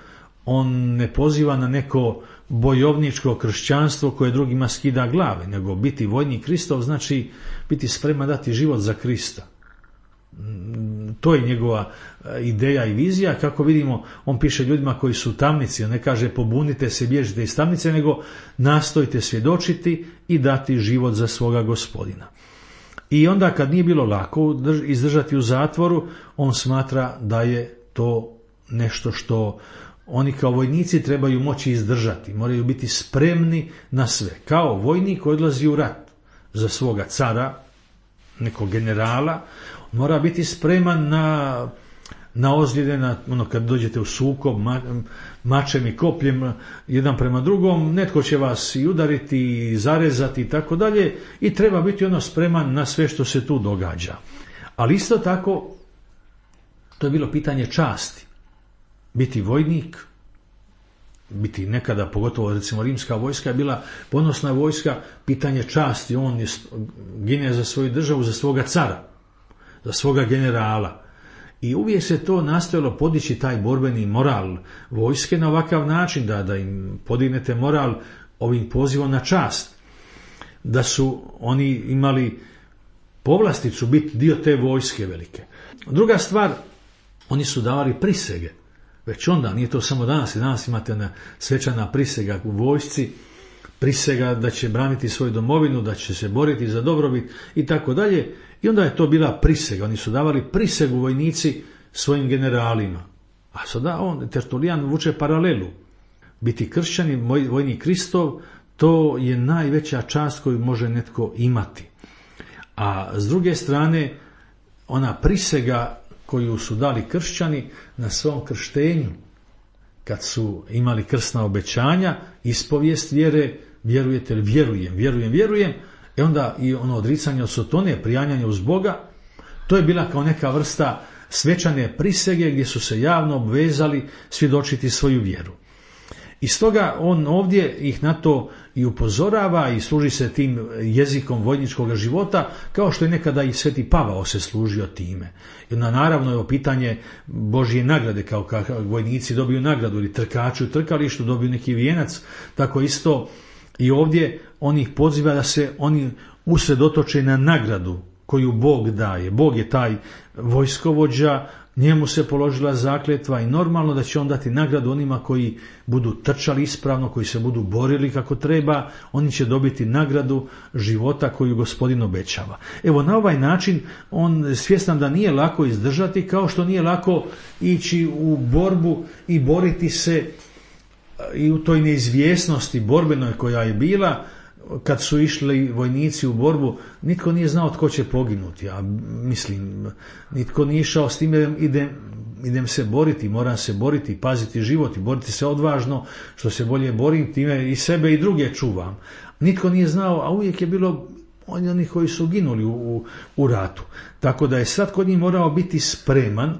On ne poziva na neko bojovničko kršćanstvo koje drugima skida glave, nego biti vojnik Kristov znači biti spreman dati život za Krista. To je njegova ideja i vizija. Kako vidimo, on piše ljudima koji su u tamnici, on ne kaže pobunite se, bježite iz tamnice, nego nastojite svjedočiti i dati život za svoga Gospodina. I onda kad nije bilo lako izdržati u zatvoru, on smatra da je to nešto što oni kao vojnici trebaju moći izdržati, moraju biti spremni na sve. Kao vojnik koji odlazi u rat za svoga cara, nekog generala, mora biti spreman na, na ozljede, na ono kad dođete u sukob ma, mačem i kopljem jedan prema drugom, netko će vas i udariti i zarezati i tako dalje, i treba biti ono spreman na sve što se tu događa. Ali isto tako to je bilo pitanje časti. Biti vojnik, biti nekada, pogotovo recimo rimska vojska je bila ponosna vojska, pitanje časti, on je gine za svoju državu, za svoga cara, za svoga generala. I uvijek se to nastojalo podići taj borbeni moral vojske na ovakav način, da, da im podignete moral ovim pozivom na čast, da su oni imali povlasticu biti dio te vojske velike. Druga stvar, oni su davali prisege. Već onda, nije to samo danas, i danas imate na svečana prisega u vojsci, prisega da će braniti svoju domovinu, da će se boriti za dobrobit i tako dalje. I onda je to bila prisega, oni su davali prisegu vojnici svojim generalima. A sada on, Tertulijan, vuče paralelu. Biti kršćanin, vojnik Kristov, to je najveća čast koju može netko imati. A s druge strane, ona prisega koju su dali kršćani na svom krštenju, kad su imali krstna obećanja, ispovijest vjere, vjerujete li, vjerujem, vjerujem, vjerujem, i onda i ono odricanje od sotone, prijanjanje uz Boga, to je bila kao neka vrsta svečane prisege gdje su se javno obvezali svjedočiti svoju vjeru. I stoga on ovdje ih na to i upozorava i služi se tim jezikom vojničkog života, kao što je nekada i Sveti Pavao se služio time. I onda naravno je pitanje Božje nagrade, kao kako vojnici dobiju nagradu, ili trkači u trkalištu dobiju neki vijenac, tako isto i ovdje on ih poziva da se oni usredotoče na nagradu koju Bog daje. Bog je taj vojskovođa, njemu se položila zakletva i normalno da će on dati nagradu onima koji budu trčali ispravno, koji se budu borili kako treba, oni će dobiti nagradu života koju Gospodin obećava. Evo, na ovaj način on svjestan da nije lako izdržati, kao što nije lako ići u borbu i boriti se i u toj neizvjesnosti borbenoj koja je bila. Kad su išli vojnici u borbu, nitko nije znao tko će poginuti. Ja mislim, nitko nije išao s time, idem, idem se boriti, moram se boriti, paziti život i boriti se odvažno, što se bolje borim, time i sebe i druge čuvam. Nitko nije znao, a uvijek je bilo oni koji su ginuli u, u, u ratu. Tako da je sad kod njih morao biti spreman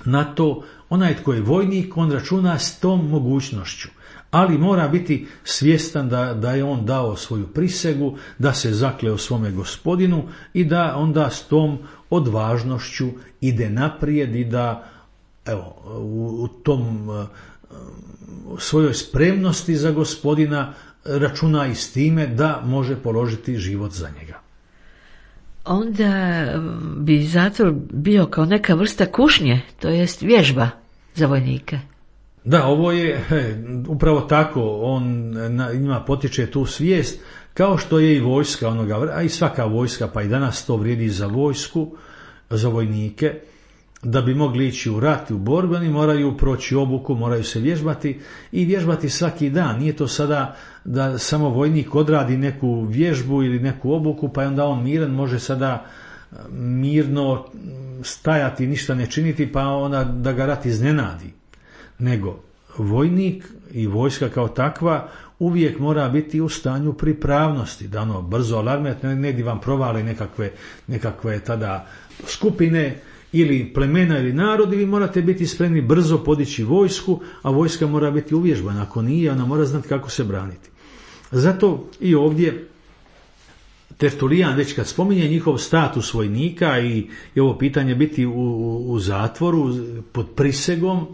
na to. Onaj tko je vojnik, on računa s tom mogućnošću. Ali mora biti svjestan da, da je on dao svoju prisegu, da se zakleo svome Gospodinu i da onda s tom odvažnošću ide naprijed i da evo, u, u tom u svojoj spremnosti za Gospodina računa i s time da može položiti život za njega. Onda bi zatvor bio kao neka vrsta kušnje, to jest vježba za vojnike. Da, ovo je he, upravo tako, on na, njima potiče tu svijest, kao što je i vojska onoga, a i svaka vojska, pa i danas to vrijedi za vojsku, za vojnike, da bi mogli ići u rat i u borbu, oni moraju proći obuku, moraju se vježbati i vježbati svaki dan. Nije to sada da samo vojnik odradi neku vježbu ili neku obuku, pa onda on miran može sada mirno stajati, ništa ne činiti, pa onda da ga rat iznenadi. Nego vojnik i vojska kao takva uvijek mora biti u stanju pripravnosti, da ono brzo alarmirate, negdje vam provale nekakve, nekakve tada skupine ili plemena ili narodi, vi morate biti spremni brzo podići vojsku, a vojska mora biti uvježbana. Ako nije, ona mora znati kako se braniti. Zato i ovdje Tertulijan, već kad spominje njihov status vojnika i, i ovo pitanje biti u, u, u zatvoru pod prisegom,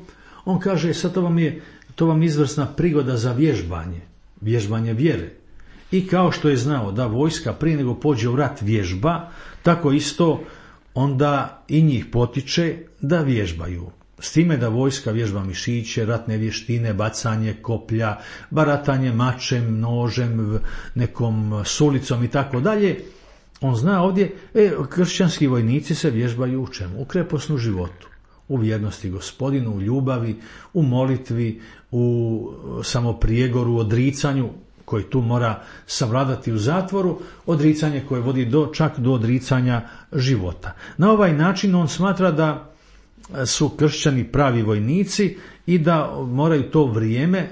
on kaže, sad to vam je to vam izvrsna prigoda za vježbanje, vježbanje vjere. I kao što je znao da vojska prije nego pođe u rat vježba, tako isto onda i njih potiče da vježbaju. S time da vojska vježba mišiće, ratne vještine, bacanje koplja, baratanje mačem, nožem, nekom sulicom i tako dalje. On zna ovdje, e, kršćanski vojnici se vježbaju u čemu? U kreposnu životu, u vjernosti Gospodinu, u ljubavi, u molitvi, u samoprijegoru, odricanju koji tu mora savladati u zatvoru, odricanje koje vodi do, čak do odricanja života. Na ovaj način on smatra da su kršćani pravi vojnici i da moraju to vrijeme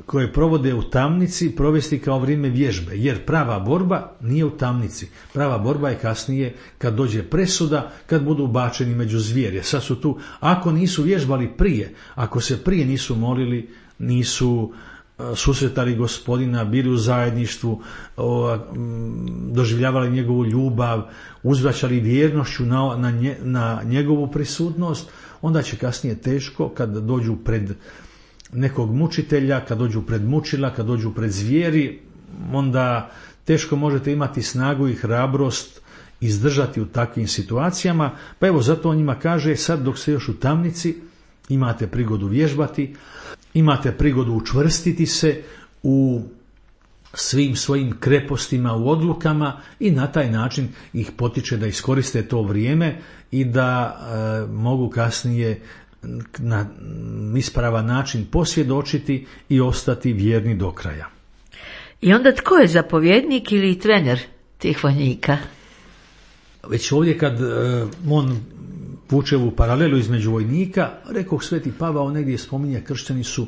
koje provode u tamnici provesti kao vrijeme vježbe, jer prava borba nije u tamnici. Prava borba je kasnije kad dođe presuda, kad budu ubačeni među zvijerje. Sad su tu, ako nisu vježbali prije, ako se prije nisu molili, nisu susretali Gospodina, bili u zajedništvu, doživljavali njegovu ljubav, uzvraćali vjernošću na, na, nje, na njegovu prisutnost, onda će kasnije teško kad dođu pred nekog mučitelja, kad dođu pred mučila, kad dođu pred zvijeri, onda teško možete imati snagu i hrabrost izdržati u takvim situacijama. Pa evo zato on njima kaže, sad dok ste još u tamnici, imate prigodu vježbati, imate prigodu učvrstiti se u svim svojim krepostima, u odlukama i na taj način ih potiče da iskoriste to vrijeme i da e, mogu kasnije na ispravan način posvjedočiti i ostati vjerni do kraja. I onda tko je zapovjednik ili trener tih vojnika? Već ovdje kad e, on vuče u paralelu između vojnika, rekao Sveti Pavao negdje spominje, kršćani su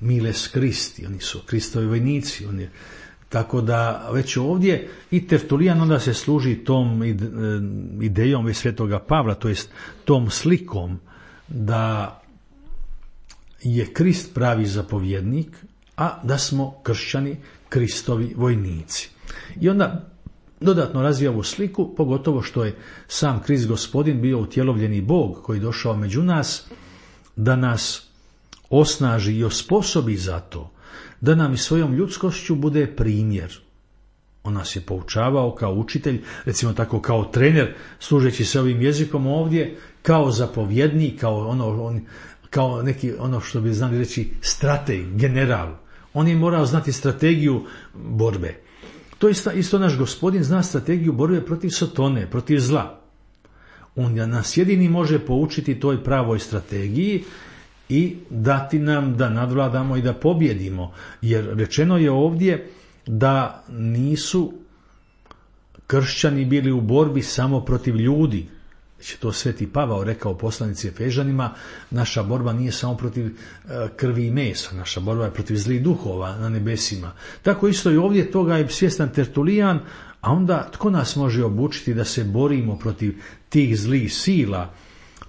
miles Kristi, oni su Kristovi vojnici, oni, tako da već ovdje i Tertulijan onda se služi tom idejom već Svetoga Pavla, to jest tom slikom da je Krist pravi zapovjednik, a da smo kršćani Kristovi vojnici. I onda dodatno razvija ovu sliku, pogotovo što je sam Krist Gospodin bio utjelovljeni Bog koji je došao među nas, da nas osnaži i osposobi za to, da nam i svojom ljudskošću bude primjer. On nas je poučavao kao učitelj, recimo tako kao trener, služeći se ovim jezikom ovdje, kao zapovjednik, kao, ono, on, kao neki, ono što bi znali reći, strateg, general. On je morao znati strategiju borbe. To isto, isto naš Gospodin zna strategiju borbe protiv Sotone, protiv zla. On nas jedini može poučiti toj pravoj strategiji i dati nam da nadvladamo i da pobjedimo. Jer rečeno je ovdje da nisu kršćani bili u borbi samo protiv ljudi. Već je to Sveti Pavao rekao poslanici Efežanima, naša borba nije samo protiv krvi i mesa, naša borba je protiv zlih duhova na nebesima. Tako isto i ovdje toga je svjestan Tertulijan, a onda tko nas može obučiti da se borimo protiv tih zlih sila?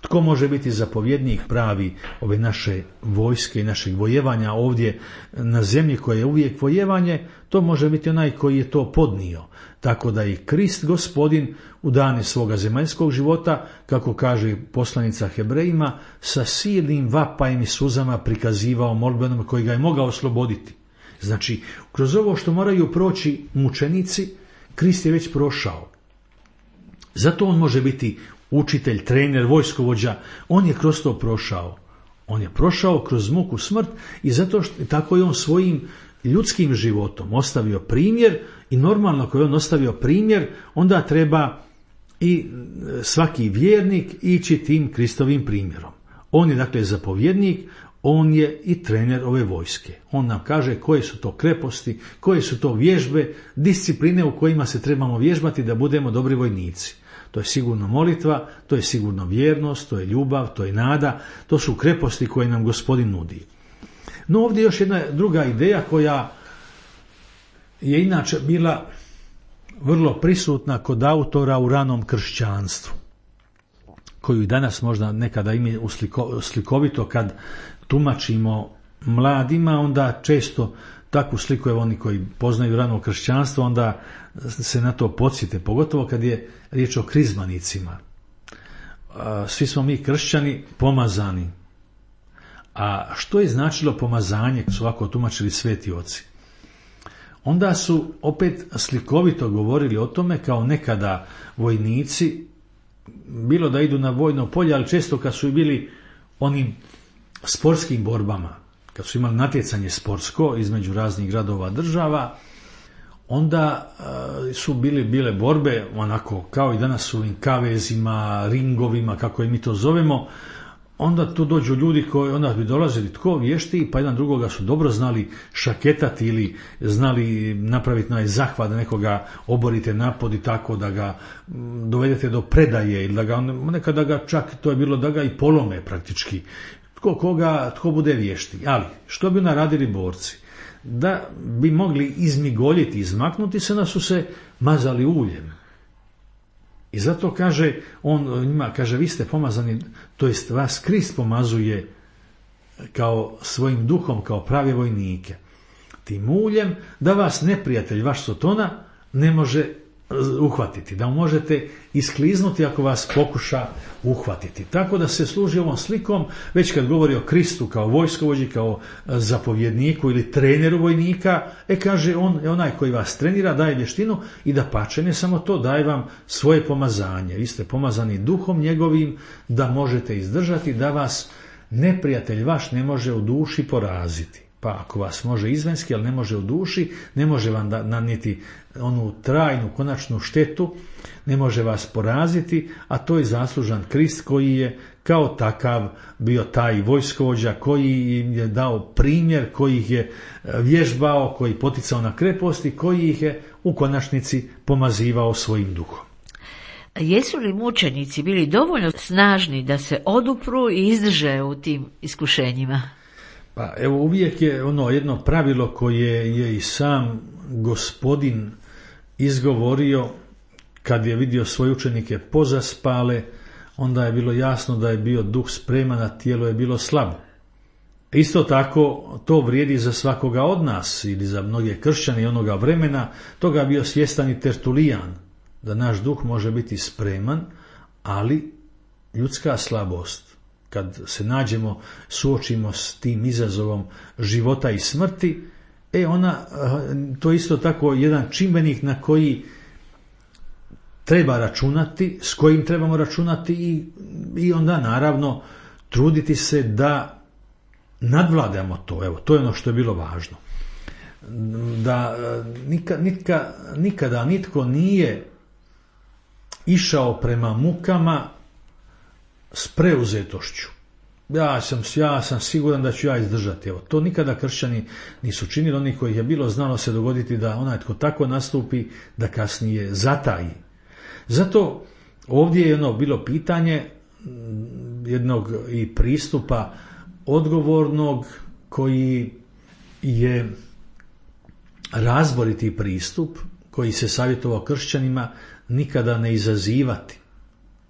Tko može biti zapovjednik pravi ove naše vojske i našeg vojevanja ovdje na zemlji koja je uvijek vojevanje? To može biti onaj koji je to podnio. Tako da i Krist Gospodin u dane svoga zemaljskog života, kako kaže poslanica Hebrejima, sa silnim vapajem i suzama prikazivao molbenom koji ga je mogao osloboditi. Znači, kroz ovo što moraju proći mučenici, Krist je već prošao. Zato on može biti učitelj, trener, vojskovođa, on je kroz to prošao. On je prošao kroz muku smrt i zato što tako je on svojim ljudskim životom ostavio primjer i normalno ako je on ostavio primjer, onda treba i svaki vjernik ići tim Kristovim primjerom. On je dakle zapovjednik, on je i trener ove vojske. On nam kaže koje su to kreposti, koje su to vježbe, discipline u kojima se trebamo vježbati da budemo dobri vojnici. To je sigurno molitva, to je sigurno vjernost, to je ljubav, to je nada, to su kreposti koje nam Gospodin nudi. No ovdje još jedna druga ideja koja je inače bila vrlo prisutna kod autora u ranom kršćanstvu, koju i danas možda nekada ima slikovito kad tumačimo mladima, onda često takvu sliku, evo oni koji poznaju rano kršćanstvo, onda se na to podsjete, pogotovo kad je riječ o krizmanicima. Svi smo mi kršćani pomazani. A što je značilo pomazanje, kad su ovako tumačili sveti oci? Onda su opet slikovito govorili o tome kao nekada vojnici, bilo da idu na vojno polje, ali često kad su bili onim sportskim borbama, kad su imali natjecanje sportsko između raznih gradova država, onda su bili, bile borbe onako kao i danas su ovim kavezima, ringovima, kako je mi to zovemo. Onda tu dođu ljudi koji onda bi dolazili tko vješti, pa jedan drugoga su dobro znali šaketati ili znali napraviti na zahvat da nekoga oborite napod i tako da ga dovedete do predaje ili da ga nekada ga čak to je bilo da ga i polome praktički. Tko koga, tko bude vješti. Ali što bi naradili borci? Da bi mogli izmigoljiti, izmaknuti se, da su se mazali uljem. I zato kaže on njima, kaže vi ste pomazani, to jest vas Krist pomazuje kao svojim duhom, kao prave vojnike. Tim uljem da vas neprijatelj, vaš Sotona, ne može uhvatiti, da možete iskliznuti ako vas pokuša uhvatiti. Tako da se služi ovom slikom, već kad govori o Kristu kao vojskovođi, kao zapovjedniku ili treneru vojnika, e kaže on je onaj koji vas trenira, daje vještinu i da pače, ne samo to, daje vam svoje pomazanje. Vi ste pomazani duhom njegovim da možete izdržati, da vas neprijatelj vaš ne može u duši poraziti. Pa ako vas može izvenski, ali ne može u duši, ne može vam nanijeti onu trajnu, konačnu štetu, ne može vas poraziti, a to je zaslužan Krist koji je kao takav bio taj vojskovođa, koji im je dao primjer, koji ih je vježbao, koji poticao na kreposti, koji ih je u konačnici pomazivao svojim duhom. Jesu li mučenici bili dovoljno snažni da se odupru i izdrže u tim iskušenjima? Pa evo uvijek je ono jedno pravilo koje je i sam Gospodin izgovorio kad je vidio svoje učenike pozaspale, onda je bilo jasno da je bio duh spreman, a tijelo je bilo slabo. Isto tako to vrijedi za svakoga od nas ili za mnoge kršćane onoga vremena, toga je bio svjestan i Tertulijan, da naš duh može biti spreman, ali ljudska slabost, kad se nađemo, suočimo s tim izazovom života i smrti, e ona, to je isto tako jedan čimbenik na koji treba računati, s kojim trebamo računati i, i onda naravno truditi se da nadvladamo to. Evo, to je ono što je bilo važno. Da nika, nika, nikada nitko nije išao prema mukama s preuzetošću. Ja sam, ja sam siguran da ću ja izdržati. Evo, to nikada kršćani nisu činili. Oni koji je bilo znalo se dogoditi da onaj tko tako nastupi, da kasnije zataji. Zato ovdje je ono bilo pitanje jednog i pristupa odgovornog koji je razboriti pristup, koji se savjetovao kršćanima nikada ne izazivati,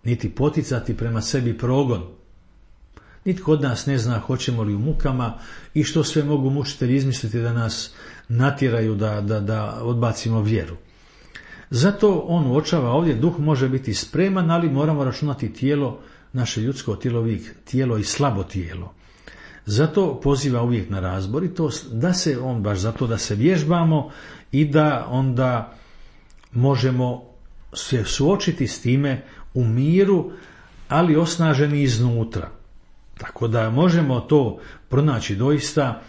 niti poticati prema sebi progon. Nitko od nas ne zna hoćemo li u mukama i što sve mogu mučitelji izmisliti da nas natjeraju da, da, da odbacimo vjeru. Zato on uočava ovdje, duh može biti spreman, ali moramo računati tijelo, naše ljudsko tijelo, tijelo i slabo tijelo. Zato poziva uvijek na razboritost, da se on baš zato da se vježbamo i da onda možemo se suočiti s time u miru, ali osnaženi iznutra. Tako da možemo to pronaći doista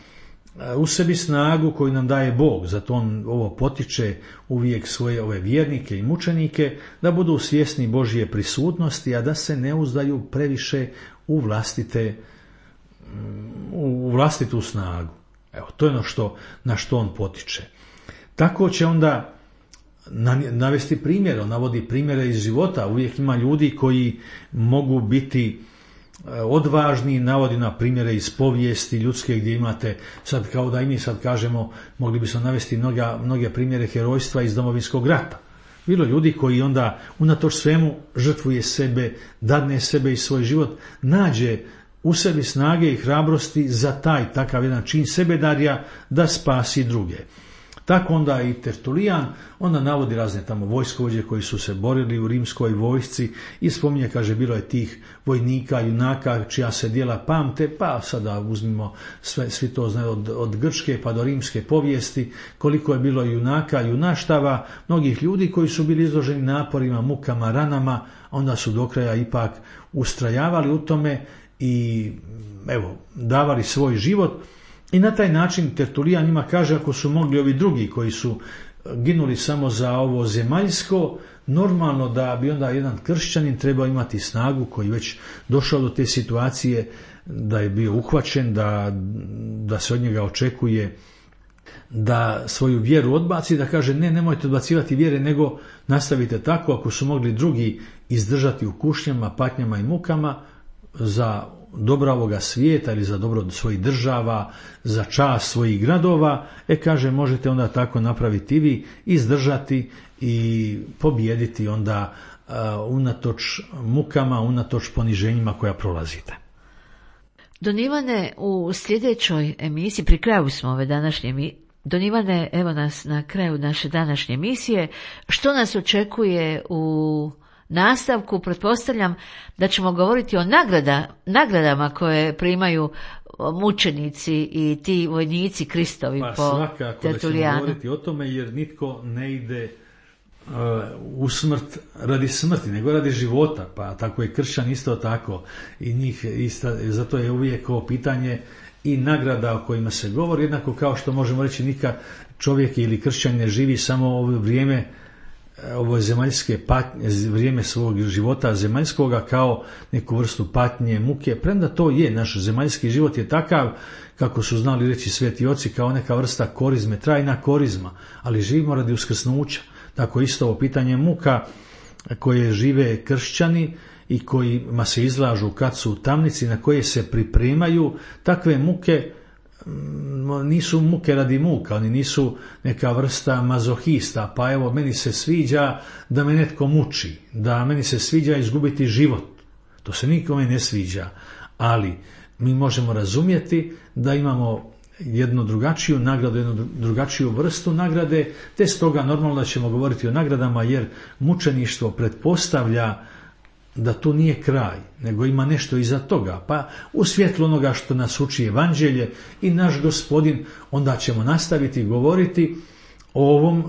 u sebi snagu koju nam daje Bog. Zato on ovo potiče uvijek svoje ove vjernike i mučenike da budu svjesni Božje prisutnosti, a da se ne uzdaju previše u vlastite u vlastitu snagu. Evo, to je ono što, na što on potiče. Tako će onda navesti primjer, on navodi primjere iz života. Uvijek ima ljudi koji mogu biti odvažni, navodi na primjere iz povijesti ljudske gdje imate, sad kao da i mi sad kažemo, mogli bismo navesti mnoga, mnoge primjere herojstva iz Domovinskog rata. Bilo ljudi koji onda unatoč svemu žrtvuje sebe, dadne sebe i svoj život, nađe u sebi snage i hrabrosti za taj takav jedan čin sebedarja da spasi druge. Tako onda i Tertulijan, onda navodi razne tamo vojskovođe koji su se borili u rimskoj vojsci i spominje, kaže, bilo je tih vojnika, junaka čija se djela pamte, pa sada uzmimo sve, svi to znaju od, od grčke pa do rimske povijesti, koliko je bilo junaka, junaštava, mnogih ljudi koji su bili izloženi naporima, mukama, ranama, onda su do kraja ipak ustrajavali u tome i evo, davali svoj život. I na taj način Tertulijan njima kaže, ako su mogli ovi drugi koji su ginuli samo za ovo zemaljsko, normalno da bi onda jedan kršćanin trebao imati snagu koji već došao do te situacije da je bio uhvaćen, da, da se od njega očekuje da svoju vjeru odbaci, da kaže ne, nemojte odbacivati vjere, nego nastavite tako. Ako su mogli drugi izdržati u kušnjama, patnjama i mukama za dobra ovoga svijeta ili za dobro svojih država, za čast svojih gradova, e kaže možete onda tako napraviti i vi, izdržati i pobijediti onda uh, unatoč mukama, unatoč poniženjima koja prolazite. Don Ivane, u sljedećoj emisiji, pri kraju smo ove današnje emisije, Don Ivane, evo nas na kraju naše današnje emisije, što nas očekuje u nastavku? Pretpostavljam da ćemo govoriti o nagrada, nagradama koje primaju mučenici i ti vojnici Kristovi pa, po svakako Tertulijanu. Da ćemo govoriti o tome, jer nitko ne ide uh, u smrt radi smrti, nego radi života, pa tako je kršćan isto tako i njih isto, zato je uvijek ovo pitanje i nagrada o kojima se govori, jednako kao što možemo reći nikad čovjek ili kršćan ne živi samo ovo vrijeme, ovo zemaljske patnje, vrijeme svog života zemaljskoga kao neku vrstu patnje, muke, premda to je, naš zemaljski život je takav, kako su znali reći sveti oci, kao neka vrsta korizme, trajna korizma, ali živimo radi uskrsnuća. Tako isto ovo pitanje muka koje žive kršćani i kojima se izlažu kad su u tamnici, na koje se pripremaju, takve muke nisu muke radi muka, oni nisu neka vrsta mazohista, pa evo meni se sviđa da me netko muči, da meni se sviđa izgubiti život. To se nikome ne sviđa, ali mi možemo razumjeti da imamo jednu drugačiju nagradu, jednu drugačiju vrstu nagrade, te stoga normalno da ćemo govoriti o nagradama, jer mučeništvo pretpostavlja da tu nije kraj, nego ima nešto iza toga. Pa u svjetlu onoga što nas uči evanđelje i naš Gospodin, onda ćemo nastaviti govoriti o ovom e,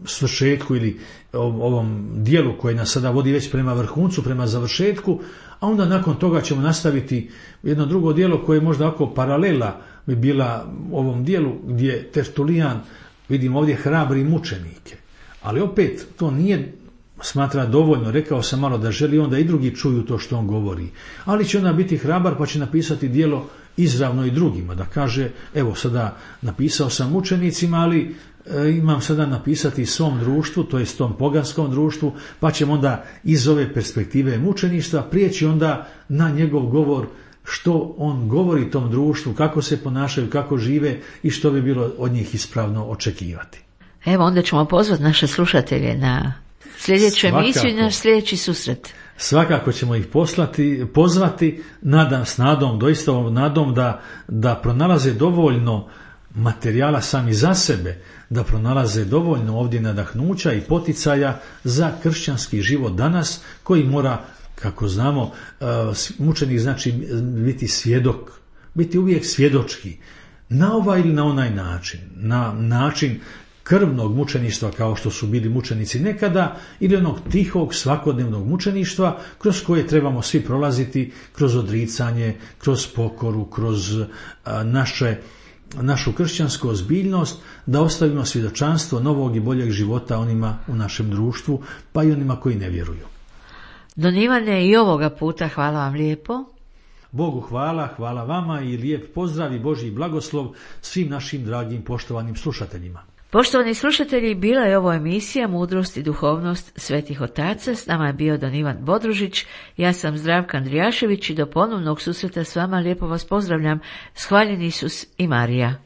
svršetku ili o ovom dijelu koje nas sada vodi već prema vrhuncu, prema završetku, a onda nakon toga ćemo nastaviti jedno drugo dijelo koje je možda oko paralela bi bila ovom dijelu gdje Tertulijan, vidimo ovdje, hrabri mučenike. Ali opet to nije smatra dovoljno, rekao sam malo da želi onda i drugi čuju to što on govori. Ali će onda biti hrabar pa će napisati djelo izravno i drugima, da kaže evo sada napisao sam mučenicima, ali e, imam sada napisati svom društvu, to jest tom poganskom društvu, pa ćemo onda iz ove perspektive mučeništva prijeći onda na njegov govor, što on govori tom društvu, kako se ponašaju, kako žive i što bi bilo od njih ispravno očekivati. Evo onda ćemo pozvati naše slušatelje na sljedeću emisiju i naš sljedeći susret. Svakako ćemo ih poslati, pozvati, nadam s nadom, doista ovom nadom da, da pronalaze dovoljno materijala sami za sebe, da pronalaze dovoljno ovdje nadahnuća i poticaja za kršćanski život danas, koji mora, kako znamo, mučenik znači biti svjedok, biti uvijek svjedočki, na ovaj ili na onaj način, na način krvnog mučeništva kao što su bili mučenici nekada ili onog tihog svakodnevnog mučeništva kroz koje trebamo svi prolaziti kroz odricanje, kroz pokoru, kroz a, naše, našu kršćansku ozbiljnost, da ostavimo svjedočanstvo novog i boljeg života onima u našem društvu, pa i onima koji ne vjeruju. Don Ivane, i ovoga puta hvala vam lijepo. Bogu hvala, hvala vama i lijep pozdrav i Božji blagoslov svim našim dragim poštovanim slušateljima. Poštovani slušatelji, bila je ovo emisija Mudrost i duhovnost svetih otaca. S nama je bio don Ivan Bodružić, ja sam Zdravka Andrijašević i do ponovnog susreta s vama lijepo vas pozdravljam. Shvaljeni Isus i Marija.